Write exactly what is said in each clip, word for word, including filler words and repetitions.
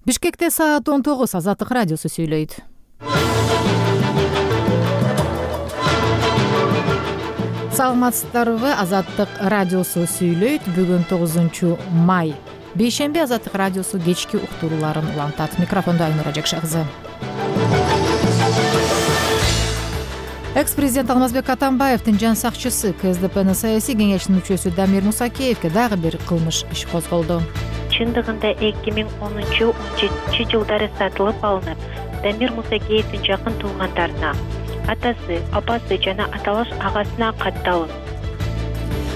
Бишкекте саат он тогуз. Азаттык радиосу сүйлөйт. Саламатсыздарбы? Азаттык радиосу сүйлөйт. Бүгүн тогузунчу май. Бейшемби Азаттык радиосу кечки уктурууларын улантат. Микрофондо Айнура Жакша кызы. Экс-президент Алмазбек Атамбаевдин жан сакчысы КСДПнын саясий кеңешинин мүчөсү Дамир Мусакеевге дагы бир кылмыш иш козголду. Чындыгында эки миң онунчу он жетинчи жылдары сатылып алынып, Дамир Мусакеевдин жакын туугандарына, атасы, апасы жана аталаш агасына катталып.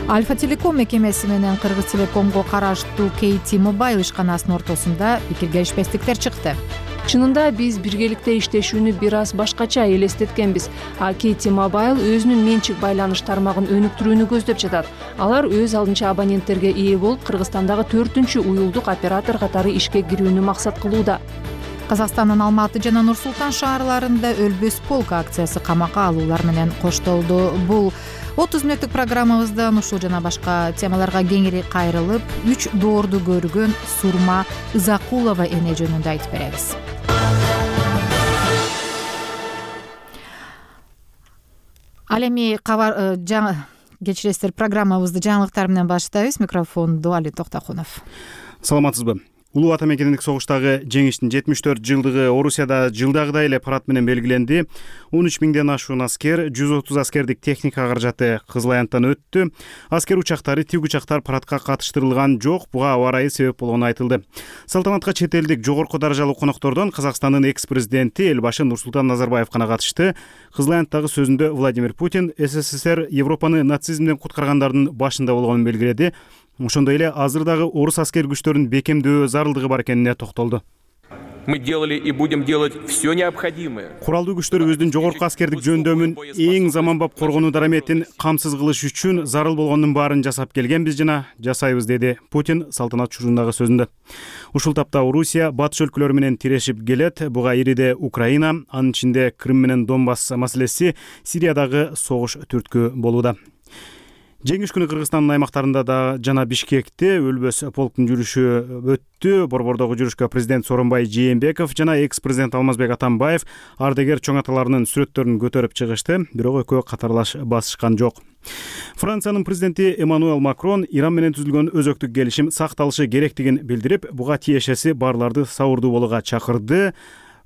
Альфа Телеком мекемеси менен Кыргыз Телекомго караштуу Кейти Мобайл ишканасынын ортосунда пикир келишпестиктер чыкты. Чынында биз биргеликте иштешүүнү бир аз башкача элестеткенбиз. А Кейти Мобайл өзүнүн менчик байланыш тармагын өнүктүрүүнү көздөп жатат. Алар өз алдынча абоненттерге ээ болуп, Кыргызстандагы төртүнчү уюлдук оператор катары ишке кирүүнү максат кылууда. Казакстандын Алматы жана Нур Султан шаарларында өлбөс полк акциясы камакка алуулар менен коштолду. Бул отуз мүнөттүк программабызда ушул жана башка темаларга кеңири кайрылып, үч доорду көргөн Сурма Ызакулова эне жөнүндө айтып беребиз. Ал эми кабар кечиресиздер, программабызды жаңылыктар менен баштайбыз. Микрофондо Али Токтокунов. Саламатсызбы? Улуу Ата мекендик согуштагы жеңиштин жетимиш төрт жылдыгы Орусияда жылдагыдай эле парад менен белгиленди. он үч миңден ашуун аскер, жүз отуз аскердик техника каражаты Кызыл Аянттан өттү. Аскер учактары, тик учактар парадка катыштырылган жок. Буга аба ырайы себеп болгону айтылды. Салтанатка чет элдик жогорку даражалуу коноктордон Казакстандын экс-президенти Элбашы Нурсултан Назарбаев гана катышты. Кызыл Аянттагы сөзүндө Владимир Путин СССР Европаны нацизмден куткаргандардын башында болгонун белгиледи. Ошондой эле азыр дагы орус аскер күчтөрүнүн бекемдөө зарылдыгы бар экенине токтолду. Мы делали и будем делать все необходимое. Куралдуу күчтөрүбүздүн жогорку аскердик жөндөмүн эң заманбап коргонуу дараметин камсыз кылыш үчүн зарыл болгондун баарын жасап келгенбиз жана жасайбыз, деди Путин салтанат учурундагы сөзүндө. Ушул тапта Орусия батыш өлкөлөр менен тирешип келет. Буга ириде Украина, анын ичинде Крым менен Донбасс маселеси, Сириядагы согуш түрткү болууда. Жеңиш күнү Кыргызстандын аймактарында да жана Бишкекте өлбөс полктун жүрүшү өттү. Борбордогу жүрүшкө президент Сооронбай Жээнбеков жана экс-президент Алмазбек Атамбаев ардагер чоң аталарынын сүрөттөрүн көтөрүп чыгышты, бирок экөө катарлаш басышкан жок. Франциянын президенти Эммануэл Макрон Иран менен түзүлгөн өзөктүк келишим сакталышы керектигин билдирип, буга тиешеси барларды сабырдуу болууга чакырды.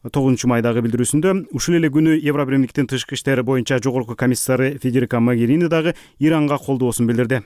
тогузунчу майдагы билдирүүсүндө ушул эле күнү Евробиримдиктин тышкы иштери боюнча жогорку комиссары Федерика Могерини дагы Иранга колдоосун билдирди.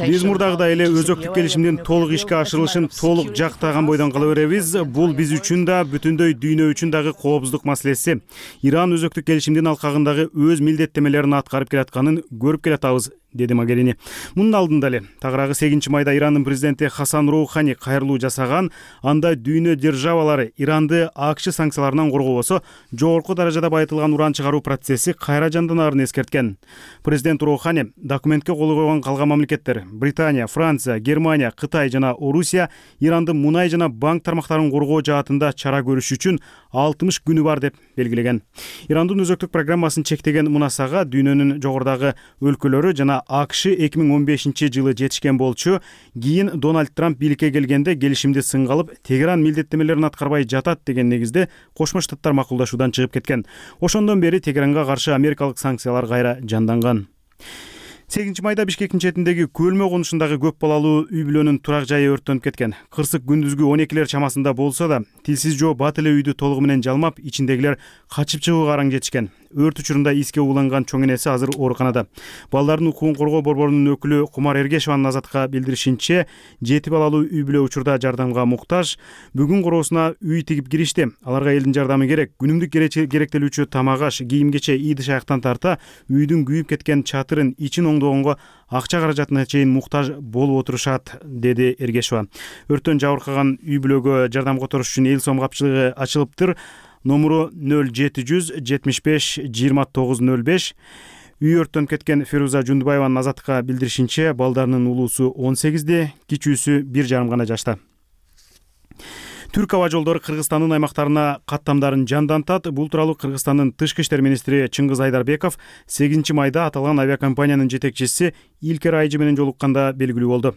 Биз мурдагыдай эле өзөктүк келишимдин толук ишке ашырылышын толук жактаган бойдон кала беребиз. Бул биз үчүн да, бүтүндөй дүйнө үчүн дагы коопсуздук маселеси. Иран өзөктүк келишимдин алкагындагы өз милдеттемелерин аткарып келатканын көрүп келатабыз, деди Могерини. Мунун алдында эле тагыраагы сегизинчи майда Ирандын президенти Хасан Роухани кайрылуу жасаган. Анда дүйнө державалары Иранды АКШ санкцияларынан коргобосо, жогорку даражада байытылган уран чыгаруу процесси кайра жанданарын эскерткен. Президент Роухани документке кол койгон калган мамлекеттер Британия, Франция, Германия, Кытай жана Орусия Иранды мунай жана банк тармактарын коргоо жаатында чара көрүш үчүн алтымыш күнү бар деп белгилеген. Ирандын өзөктүк программасын чектеген мунасага дүйнөнүн жогорудагы өлкөлөрү жана АКШ эки миң он бешинчи жылы жетишкен болчу. Кийин Дональд Трамп бийликке келгенде келишимди сынга алып, Тегеран милдеттемелерин аткарбай жатат деген негизде Кошмо Штаттар макулдашуудан чыгып кеткен. Ошондон бери Тегеранга каршы америкалык санкциялар кайра жанданган. сегизинчи майда Бишкектин четиндеги Көлмө конушундагы көп балалуу үй бүлөнүн турак жайы өрттөнүп кеткен. Кырсык күндүзгү он экилер чамасында болсо да, тилсиз жоо бат эле үйдү толугу менен жалмап, ичиндегилер качып чыгууга араң жетишкен. Өрт учурунда иске ууланган чоң энеси азыр ооруканада. Балдардын укугун коргоо борборунун өкүлү Кумар Эргешеванын Азаттыкка билдиришинче, жети балалуу үй бүлө учурда жардамга муктаж. Бүгүн короосуна үй тигип киришти. Аларга элдин жардамы керек. Күнүмдүк керектелүүчү тамак-аш, кийим-кече, ийди-шаяктан тарта үйдүн күйүп кеткен чатырын, ичин оңдогонго акча каражатына чейин муктаж болуп отурушат, деди Эргешева. Өрттөн жабыркаган үй бүлөгө жардам которуш үчүн эл сом капчылыгы ачылыптыр. Номуру нөл жети жүз жетимиш беш жыйырма тогуз нөл беш. Үй өрттөнүп кеткен Феруза Жундубаеванын Азаттыкка билдиришинче, балдарынын улуусу он сегизде, кичүүсү бир жарым гана жашта. Түрк аба жолдору Кыргызстандын аймактарына каттамдарын жандантат. Бул тууралуу Кыргызстандын тышкы иштер министри Чыңгыз Айдарбеков сегизинчи майда аталган авиакомпаниянын жетекчиси Илкер Айжы менен жолукканда белгилүү болду.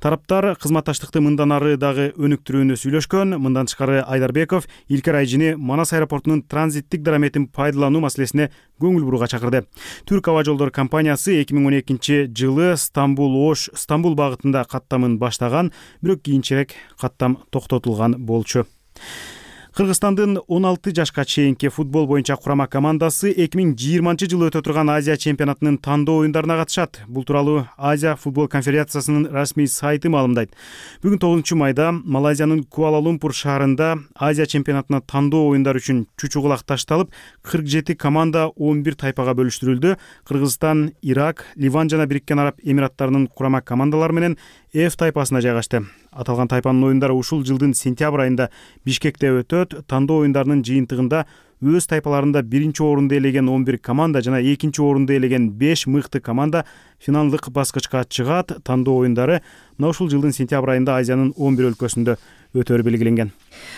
Тараптар кызматташтыкты мындан ары дагы өнүктүрүүнү сүйлөшкөн. Мындан тышкары Айдарбеков Илкер Айжыны Манас аэропортунун транзиттик дараметин пайдалануу маселесине көңүл бурууга чакырды. Түрк аба жолдору компаниясы эки миң он экинчи жылы Стамбул-Ош Стамбул багытында каттамын баштаган, бирок кийинчерээк каттам токтотулган болчу. Кыргызстандын он алты жашка чейинки футбол боюнча курама командасы эки миң жыйырманчы жылы өтө турган Азия чемпионатынын тандоо оюндарына катышат. Бул тууралуу Азия футбол конфедерациясынын расмий сайты маалымдайт. Бүгүн тогузунчу майда Малайзиянын Куала-Лумпур шаарында Азия чемпионатына тандоо оюндар үчүн чучугулак ташталып, кырк жети команда он бир тайпага бөлүштүрүлдү. Кыргызстан, Ирак, Ливан жана Бириккен Араб Эмираттарынын курама командалары менен F тайпасына жайгашты. Аталган тайпанын оюндары ушул жылдын сентябрь айында Бишкекте өтөт. Тандоо оюндарынын жыйынтыгында өз тайпаларында биринчи орунду ээлеген он бир команда жана экинчи орунду ээлеген беш мыкты команда финалдык баскычка чыгат. Тандоо оюндары мына ушул жылдын сентябрь айында Азиянын он бир өлкөсүндө өтөрү белгиленген.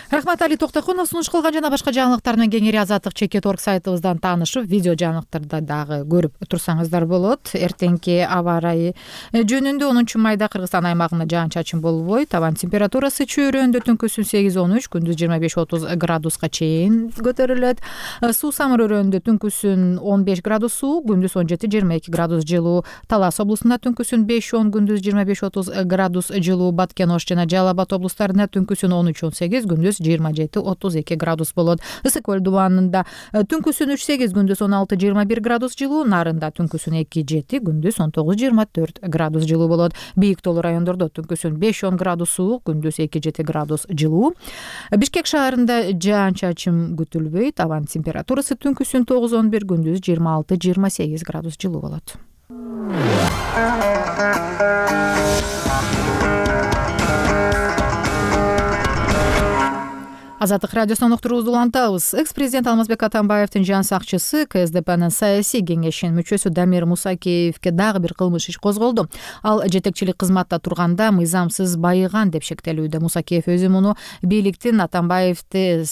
Рахмат Али Токтокунов. Сунуш кылган жана башка жаңылыктар менен кеңири Азаттык чекит орг сайтыбыздан таанышып, видео жаңылыктарды дагы көрүп турсаңыздар болот. Эртеңки аба ырайы жөнүндө онунчу майда Кыргызстан аймагында жаан-чачын болбойт. Абанын температурасы чөйрөндө түнкүсүн сегиз он үч, күндүз жыйырма беш отуз градуска чейин көтөрүлөт. Суу Самыр өрөөнүндө түнкүсүн он беш градус суу, күндүз он жети жыйырма эки градус жылуу. Талас облусунда түнкүсүн беш он, күндүз жыйырма беш отуз градус жылуу. Баткен, Ош жана Жалал Абад облустарында түнкүсүн он үч он сегиз, күндүз жыйырма жети отуз эки градус болот. Ысык көл дубанында түнкүсүн үч сегиз, күндүз он алты жыйырма бир градус жылуу. Нарында түнкүсүн эки жети, күндүз он тогуз жыйырма төрт градус жылуу болот. Бийик тоолуу райондордо түнкүсүн беш он градус суук, күндүз эки жети градус жылуу. Бишкек шаарында жаан-чачын күтүлбөйт. Абанын температурасы түнкүсүн тогуз он бир, күндүз жыйырма алты жыйырма сегиз градус жылуу болот. Азаттык радиосунан уктуруубузду улантабыз. Экс-президент Алмазбек Атамбаевдин жан сакчысы К С Д П'нин саясий кеңешинин мүчөсү Дамир Мусакеевге дагы бир кылмыш иш козголду. Ал жетекчилик кызматта турганда мыйзамсыз байыган деп шектелүүдө. Мусакеев өзү муну бийликтин Атамбаевди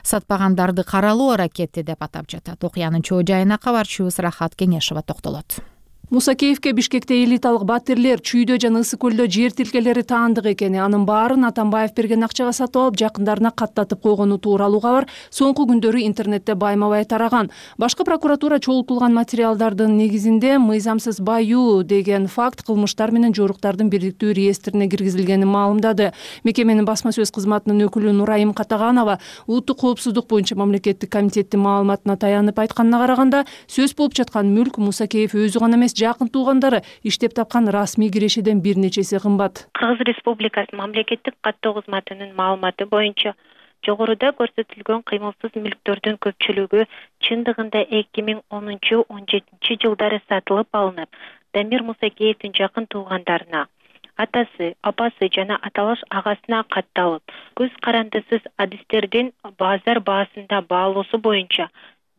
сатпагандарды каралоо аракети деп атап жатат. Окуянын чоо жайына кабарчыбыз Рахат Кеңешова токтолот. Мусакеевке Бишкекте элиталык батирлер Чүйдө жана Ысык көлдө жер тилкелери таандык экени, анын баарын Атамбаев берген акчага сатып алып, жакындарына каттатып койгону тууралуу кабар соңку күндөрү интернетте байма-бай тараган. Башкы прокуратура чогултулган материалдардын негизинде мыйзамсыз баюу деген факт кылмыштар менен жоруктардын бирдиктүү реестрине киргизилгенин маалымдады. Мекеменин басма сөз кызматынын өкүлү Нурайым Катаганова улуттук коопсуздук боюнча мамлекеттик комитеттин маалыматына таянып айтканына караганда, сөз болуп жаткан мүлк Мусакеев өзү гана эмес, жакын туугандары иштеп тапкан расмий кирешеден бир нечеси кымбат. Кыргыз Республикасы мамлекеттик каттоо кызматынын маалыматы боюнча жогоруда көрсөтүлгөн кыймылсыз мүлктөрдүн көпчүлүгү чындыгында эки миң онунчу он жетинчи жылдары сатылып алынып, Дамир Мусакеевдин жакын туугандарына, атасы, апасы жана аталаш агасына катталып, көз карандысыз адистердин базар баасында баалоосу боюнча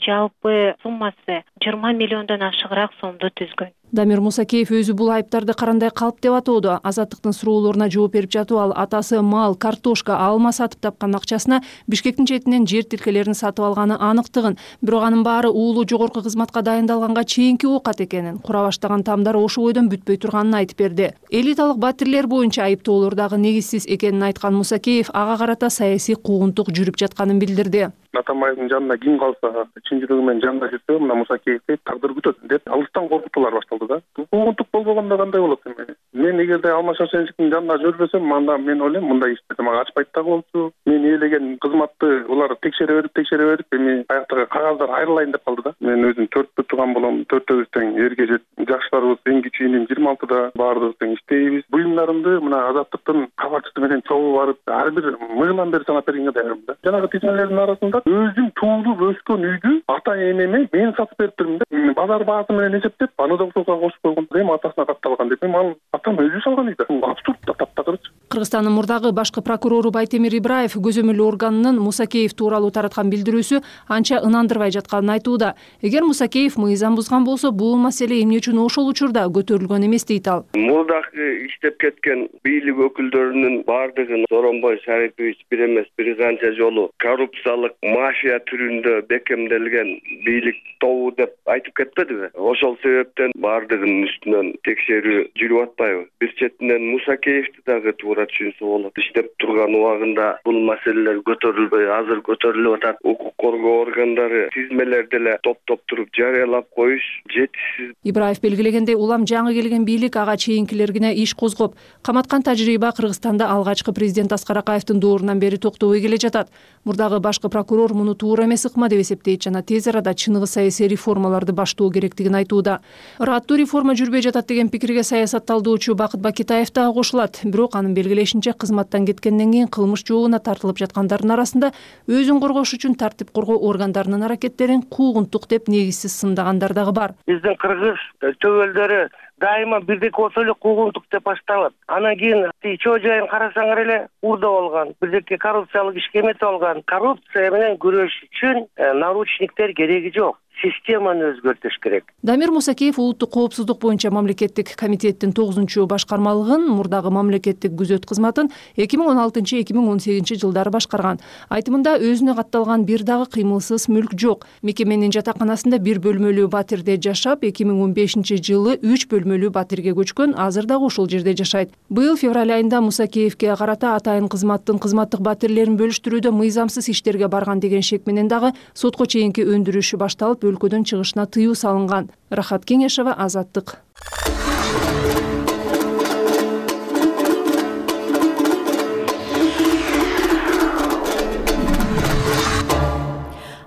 жалпы суммасы жыйырма миллиондон ашыгыраак сомду түзгөн. Дамир Мусакеев өзү бул айыптарды карандай калп деп атоодо. Азаттыктын суроолоруна жооп берип жатып ал атасы мал, картошка, алма сатып тапкан акчасына Бишкектин четинен жер тилкелерин сатып алганы аныктыгын, бирок анын баары уулу жогорку кызматка дайындалганга чейинки оокат экенин, кура баштаган тамдар ошо бойдон бүтпөй турганын айтып берди. Элиталык батирлер боюнча айыптоолор дагы негизсиз экенин айткан Мусакеев ага карата саясий куугунтук жүрүп жатканын билдирди. Атамбаевдин жанында ким калса, чынчылыгы менен жанында жүрсө, мына Мусакеевди тагдыр күтөт деп алыстан коркутуулар башталды да. Куугунтук болбогондо кандай болот эми? Мен эгерде Алмаз Шаршенчиктин жанында жүрбөсөм, анда мен ойлойм мындай ишти мага ачпайт да болчу. Мен ээлеген кызматты улар текшере берип, текшере берип, эми аяктагы кагаздар айрылайын деп калды да. Мен өзүм төрттү тууган болом, төртөөбүз тең эрге жет. Жаштарыбыз эң кичүүнү жыйырма алтыда баардыгыбыз тең иштейбиз. Буюмдарымды мына Азаттыктын кабарчысы менен чогуу барып, ар бир мыйылдан бери санап бергенге даярмын да. Жанагы тизмелердин арасында өзүм туулуп өскөн үйдү ата энеме мен сатып берип турмун да. Базар баасы менен эсептеп, аны да ошого кошуп койгон. Эми атасына катталган деп. Эми ал атам өзү салган үй да. Абсурд да, таптакырчы. Кыргызстандын мурдагы башкы прокурору Байтемир Ибраев көзөмөл органынын Мусакеев тууралуу тараткан билдирүүсү анча ынандырбай жатканын айтууда. Эгер Мусакеев мыйзам бузган болсо, бул маселе эмне үчүн ошол учурда көтөрүлгөн эмес дейт ал. Мурдагы иштеп кеткен бийлик өкүлдөрүнүн бардыгын Сооронбай Шарипович бир эмес бир канча жолу коррупциялык мафия түрүндө бекемделген бийлик тобу деп айтып кетпедиби? Ошол себептен бардыгынын үстүнөн текшерүү жүрүп атпайбы? Бир четинен Мусакеевди дагы туура түшүнсө болот. Иштеп турган убагында бул маселелер көтөрүлбөй, азыр көтөрүлүп атат. Укук коргоо органдары тизмелерди эле топтоп туруп жарыялап коюш жетишсиз. Ибраев белгилегендей, улам жаңы келген бийлик ага чейинкилергине иш козгоп, каматкан тажрыйба Кыргызстанда алгачкы президент Аскар Акаевдин доорунан бери токтобой келе жатат. Мурдагы башкы прокурор муну туура эмес ыкма деп эсептейт жана тез арада чыныгы саясий реформаларды баштоо керектигин айтууда. Ыраттуу реформа жүрбөй жатат деген пикирге саясатталдоочу Бакыт Бакитаев дагы кошулат. Бирок анын белгилешинче, кызматтан кеткенден кийин кылмыш жообуна тартылып жаткандардын арасында өзүн коргош үчүн тартип коргоо органдарынын аракеттерин куугунтук деп негизсиз сындагандар дагы бар. Биздин кыргыз төбөлдөрү дайыма бирдеки болсо эле куугунтук деп башталат. Анан кийин чоо жайын карасаңар эле урда болгон, бирдеки коррупциялык ишке эметип алган. Коррупция менен күрөш үчүн наручниктер кереги жок. Системаны өзгөртүш керек. Дамир Мусакеев улуттук коопсуздук боюнча мамлекеттик комитеттин тогузунчу башкармалыгын, мурдагы мамлекеттик күзөт кызматын эки миң он алтынчы эки миң он сегизинчи жылдары башкарган. Айтымында өзүнө катталган бир дагы кыймылсыз мүлк жок. Мекеменин жатаканасында бир бөлмөлүү батирде жашап, эки миң он бешинчи жылы үч бөлмөлүү батирге көчкөн, азыр дагы ошол жерде жашайт. Быйыл февраль айында Мусакеевке карата атайын кызматтын кызматтык батирлерин бөлүштүрүүдө мыйзамсыз иштерге барган деген шек менен дагы сотко чейинки өндүрүшү башталып, өлкөдөн чыгышына тыюу салынган. Рахат Кеңешова, Азаттык.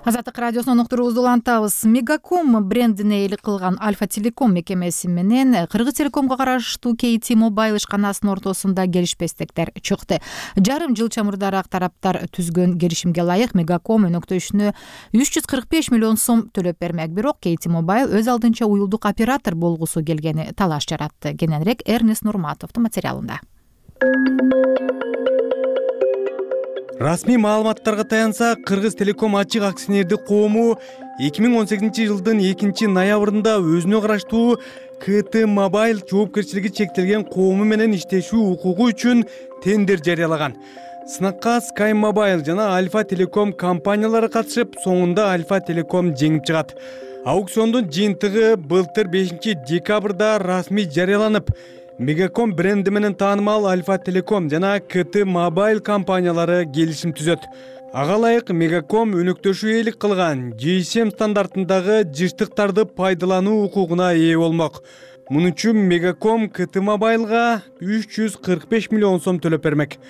Азаттык радиосунун уктуруубузду улантабыз. Мегаком брендине ээлик кылган Альфа Телеком мекемеси менен Кыргыз Телекомго караштуу кей ти Mobile ишканасынын ортосунда келишпестиктер чыкты. Жарым жыл чамырдараак тараптар түзгөн келишимге ылайык Мегаком өнөктөшүнө үч жүз кырк беш миллион сом төлөп бермек. Бирок кей ти Mobile өз алдынча уюлдук оператор болгусу келгени талаш жаратты. Кененирээк Эрнест Нурматовдун материалында. Расмий маалыматтарга таянса, Кыргыз Телеком ачык акционердик коому эки миң он сегизинчи жылдын экинчи ноябрында өзүнө караштуу кей ти Mobile жоопкерчилиги чектелген коому менен иштешүү укугу үчүн тендер жарыялаган. Сынакка Sky Mobile жана Альфа Телеком компаниялары катышып, соңунда Альфа Телеком жеңип чыгат. Аукциондун жыйынтыгы былтыр бешинчи декабрда расмий жарыяланып, Мегаком бренди менен таанымал Альфа Телеком жана кей ти Mobile компаниялары келишим түзөт. Ага ылайык Мегаком өнөктөшүү ээлик кылган джи эс эм стандартындагы жыштыктарды пайдалануу укугуна ээ болмок. Муну үчүн Мегаком кей ти Mobileга үч жүз кырк беш миллион сом төлөп бермек.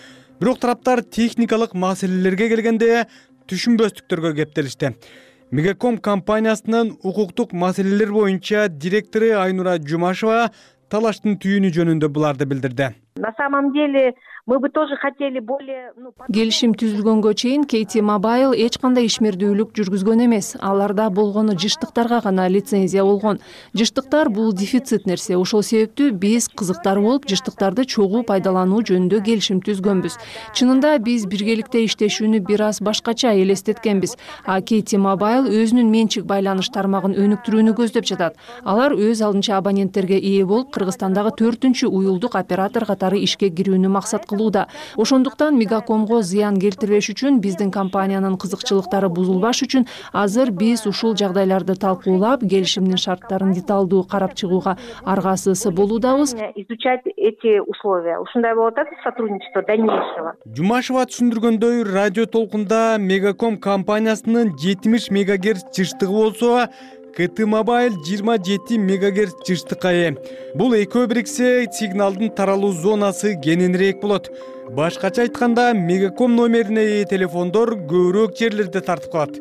Бирок тараптар техникалык маселелерге келгенде түшүнбөстүктөргө кептелишти. Мегаком компаниясынын укуктук маселелер боюнча директору Айнура Жумашева талаштын түйүнү жөнүндө буларды билдирди. На самом деле мы бы тоже хотели более... Келишим түзүлгөнгө чейин кей ти Mobile эч кандай ишмердүүлүк жүргүзгөн эмес. Аларда болгону жыштыктарга гана лицензия болгон. Жыштыктар бул дефицит нерсе. Ошол себептүү биз кызыктар болуп жыштыктарды чогуу пайдалануу жөнүндө келишим түзгөнбүз. Чынында биз биргеликте иштешүүнү бир аз башкача элестеткенбиз. А кей ти Mobile өзүнүн менчик байланыш тармагын өнүктүрүүнү көздөп жатат. Алар өз алдынча абоненттерге ээ болуп, Кыргызстандагы төртүнчү уюлдук оператор катары ишке кирүүнү максат кылууда. Ошондуктан Мегакомго зыян келтирбеш үчүн, биздин компаниянын кызыкчылыктары бузулбаш үчүн азыр биз ушул жагдайларды талкуулап, келишимдин шарттарын деталдуу карап чыгууга аргасыз болуудабыз. Изучать эти условия. Ушундай болуп атат сотрудничество дальнейшего. Жумашева түшүндүргөндөй, радио толкунда Мегаком компаниясынын жетимиш мегагерц жыштыгы болсо, кей ти Mobile жыйырма жети мегагерц жыштыкка ээ. Бул экөө бириксе сигналдын таралуу зонасы кененирээк болот. Башкача айтканда, Мегаком номерине ээ телефондор көбүрөөк жерлерде тартып калат.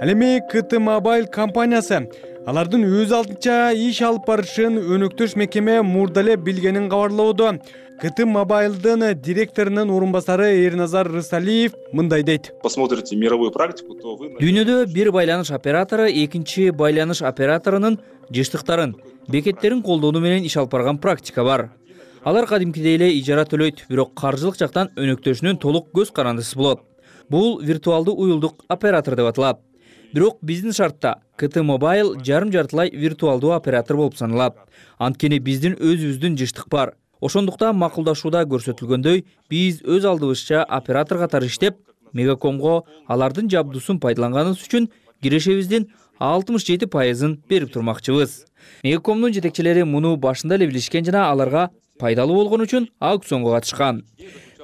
Ал эми кей ти Mobile компаниясы алардын өз алдынча иш алып барышын өнөктөш мекеме мурда эле билгенин кабарлоодо. кей ти Mobile'дын директорунун орун басары Эрназар Рысалиев мындай дейт. Посмотрите мировую практику, то вы... Дүйнөдө бир байланыш оператору экинчи байланыш операторунун жыштыктарын бекеттерин колдонуу менен иш алып барган практика бар. Алар кадимкидей эле ижара төлөйт, бирок каржылык жактан өнөктөшүнүн толук көз карандысы болот. Бул виртуалдуу уюлдук оператор деп аталат. Бирок биздин шартта ка тэ Mobile жарым жартылай виртуалдуу оператор болуп саналат. Анткени биздин өзүбүздүн жыштык бар. Ошондуктан макулдашууда көрсөтүлгөндөй, биз өз алдыбызча оператор катары иштеп, Мегакомго алардын жабдуусун пайдаланганыбыз үчүн кирешебиздин алтымыш жети пайызын берип турмакчыбыз. Мегакомдун жетекчилери муну башында эле билишкен жана аларга пайдалуу болгон үчүн аукционго катышкан.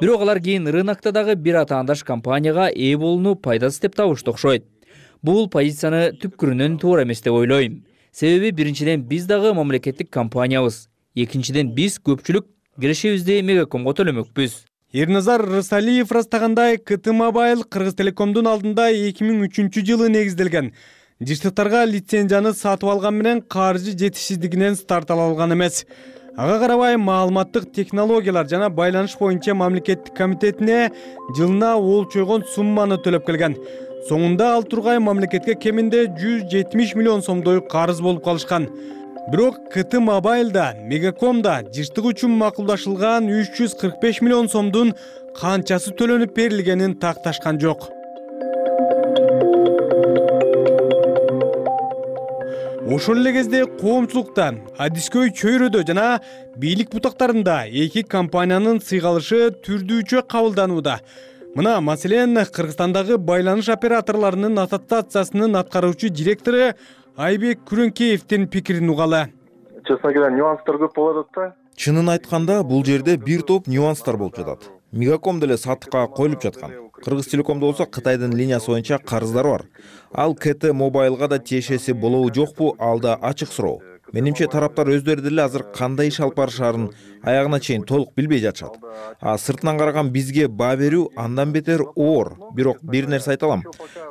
Бирок алар кийин рынокто дагы бир атаандаш компанияга ээ болууну пайдасыз деп табышты окшойт. Бул позицияны түпкүрүнөн туура эмес деп ойлойм. Себеби биринчиден биз дагы мамлекеттик компаниябыз. Экинчиден биз көпчүлүк кирешебизди Мегакомго төлөмөкпүз. Эрназар Рысалиев ырастагандай, ка тэ Mobile Кыргыз Телекомдун алдында эки миң үчүнчү жылы негизделген. Жыштыктарга лицензияны сатып алган менен каржы жетишсиздигинен старт ала алган эмес. Ага карабай маалыматтык технологиялар жана байланыш боюнча мамлекеттик комитетине жылына олчойгон сумманы төлөп келген. Соңунда ал тургай мамлекетке кеминде жүз жетимиш миллион сомдой карыз болуп калышкан. Бирок ка тэ Mobile'да, Мегакомда жыштык үчүн макулдашылган үч жүз кырк беш миллион сомдун канчасы төлөнүп берилгенин такташкан жок. Ошол эле кезде коомчулукта, адискөй чөйрөдө жана бийлик бутактарында эки компаниянын сыйгалышы түрдүүчө кабылданууда. Мына, маселен, Кыргызстандагы байланыш операторлорунун ассоциациясынын аткаруучу директору Айбек Күрөнкеевдин пикирин угалы. Честно говоря, нюанстар көп болот да. Чынын айтканда, бул жерде бир топ нюанстар болуп жатат. Мегаком деле сатыкка коюлуп жаткан. Кыргыз Телекомдо болсо Кытайдын линиясы боюнча карыздар бар. Ал ка тэ Mobile'га да тиешеси болобу жокпу, ал да ачык суроо. Менимче тараптар өздөрү деле азыр кандай иш алып барышаарын аягына чейин толук билбей жатышат. А сыртынан караган бизге баа берүү андан бетер оор. Бирок бир нерсе айта алам.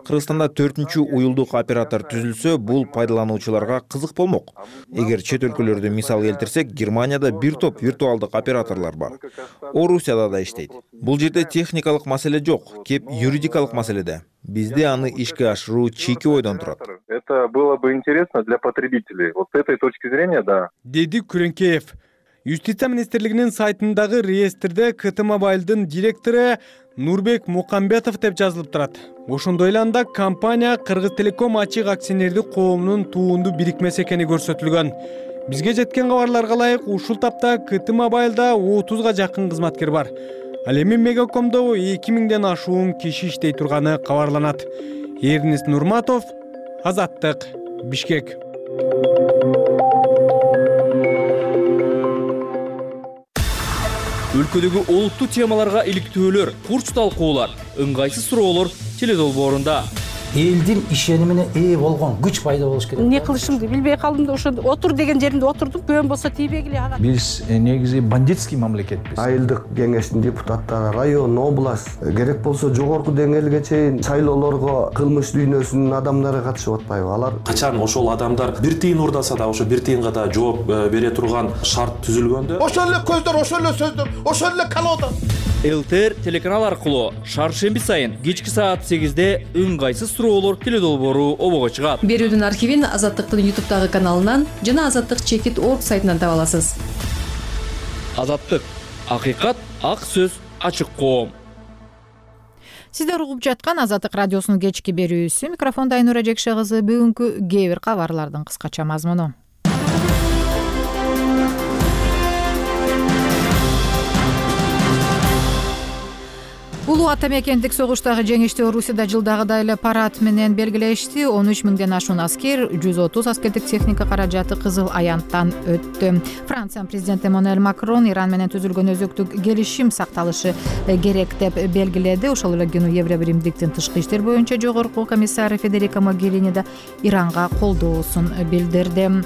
Кыргызстанда төртүнчү уюлдук оператор түзүлсө, бул пайдалануучуларга кызык болмок. Эгер чет өлкөлөрдө мисал келтирсек, Германияда бир топ виртуалдык операторлор бар. Орусияда да иштейт. Бул жерде техникалык маселе жок, кеп юридикалык маселеде. Бизде аны ишке ашыруу чийки ойдон турат. Это было бы интересно для потребителей. Вот с этой точки зрения, да. Деди Күрөнкеев. Юстиция министрлигинин сайтындагы реестрде ка тэ Mobile'дын директору Нурбек Мукамбетов деп жазылып турат. Ошондой эле анда компания Кыргыз Телеком ачык акционердик коомунун туунду бирикмеси экени көрсөтүлгөн. Бизге жеткен кабарларга ылайык, ушул тапта ка тэ Mobile'да отузга жакын кызматкер бар. Ал эми Мегакомдо эки миңден ашуун киши иштей турганы кабарланат. Эрнис Нурматов, Азаттык, Бишкек. Өлкөдөгү олуттуу темаларга иликтөөлөр, курч талкуулар, ыңгайсыз суроолор теледолбоорунда. Элдин ишенимине ээ болгон күч пайда болуш керек. Не кылышымды билбей калдым да, ошо отур деген жеримде отурдум. Көөн болсо тийбегиле ага. Биз негизи бандитский мамлекетпиз. Айылдык кеңештин депутаттары, район, область, керек болсо жогорку деңгээлге чейин шайлоолорго кылмыш дүйнөсүнүн адамдары катышып атпайбы? Алар качан ошол адамдар бир тыйын урдаса да, ошо бир тыйынга да жооп бере турган шарт түзүлгөндө, ошол эле көздөр, ошол эле сөздөр, ошол эле колода. ЛТР телеканал аркылуу шаршемби сайын кечки саат сегизде ыңгайсыз суроолор теледолбоору обого чыгат. Берүүдүн архивин Азаттыктын ютубтагы каналынан жана Азаттык чекит точка орг сайтынан таба аласыз. Азаттык, акыйкат, ак сөз, ачык коом. Сиздер угуп жаткан Азаттык радиосунун кечки берүүсү. Микрофонда Айнура Жекше кызы. Бүгүнкү кээ бир кабарлардын кыскача мазмуну. Улуу ата мекендик согуштагы жеңишти Орусияда жылдагыдай эле парад менен белгилешти. он үч миңден ашуун аскер, жүз отуз аскердик техника каражаты Кызыл аянттан өттү. Франциянын президенти Эммануэль Макрон Иран менен түзүлгөн өзөктүк келишим сакталышы керек деп белгиледи. Ошол эле күнү Евробиримдиктин тышкы иштер боюнча жогорку комиссары Федерика Могерини да Иранга колдоосун билдирди.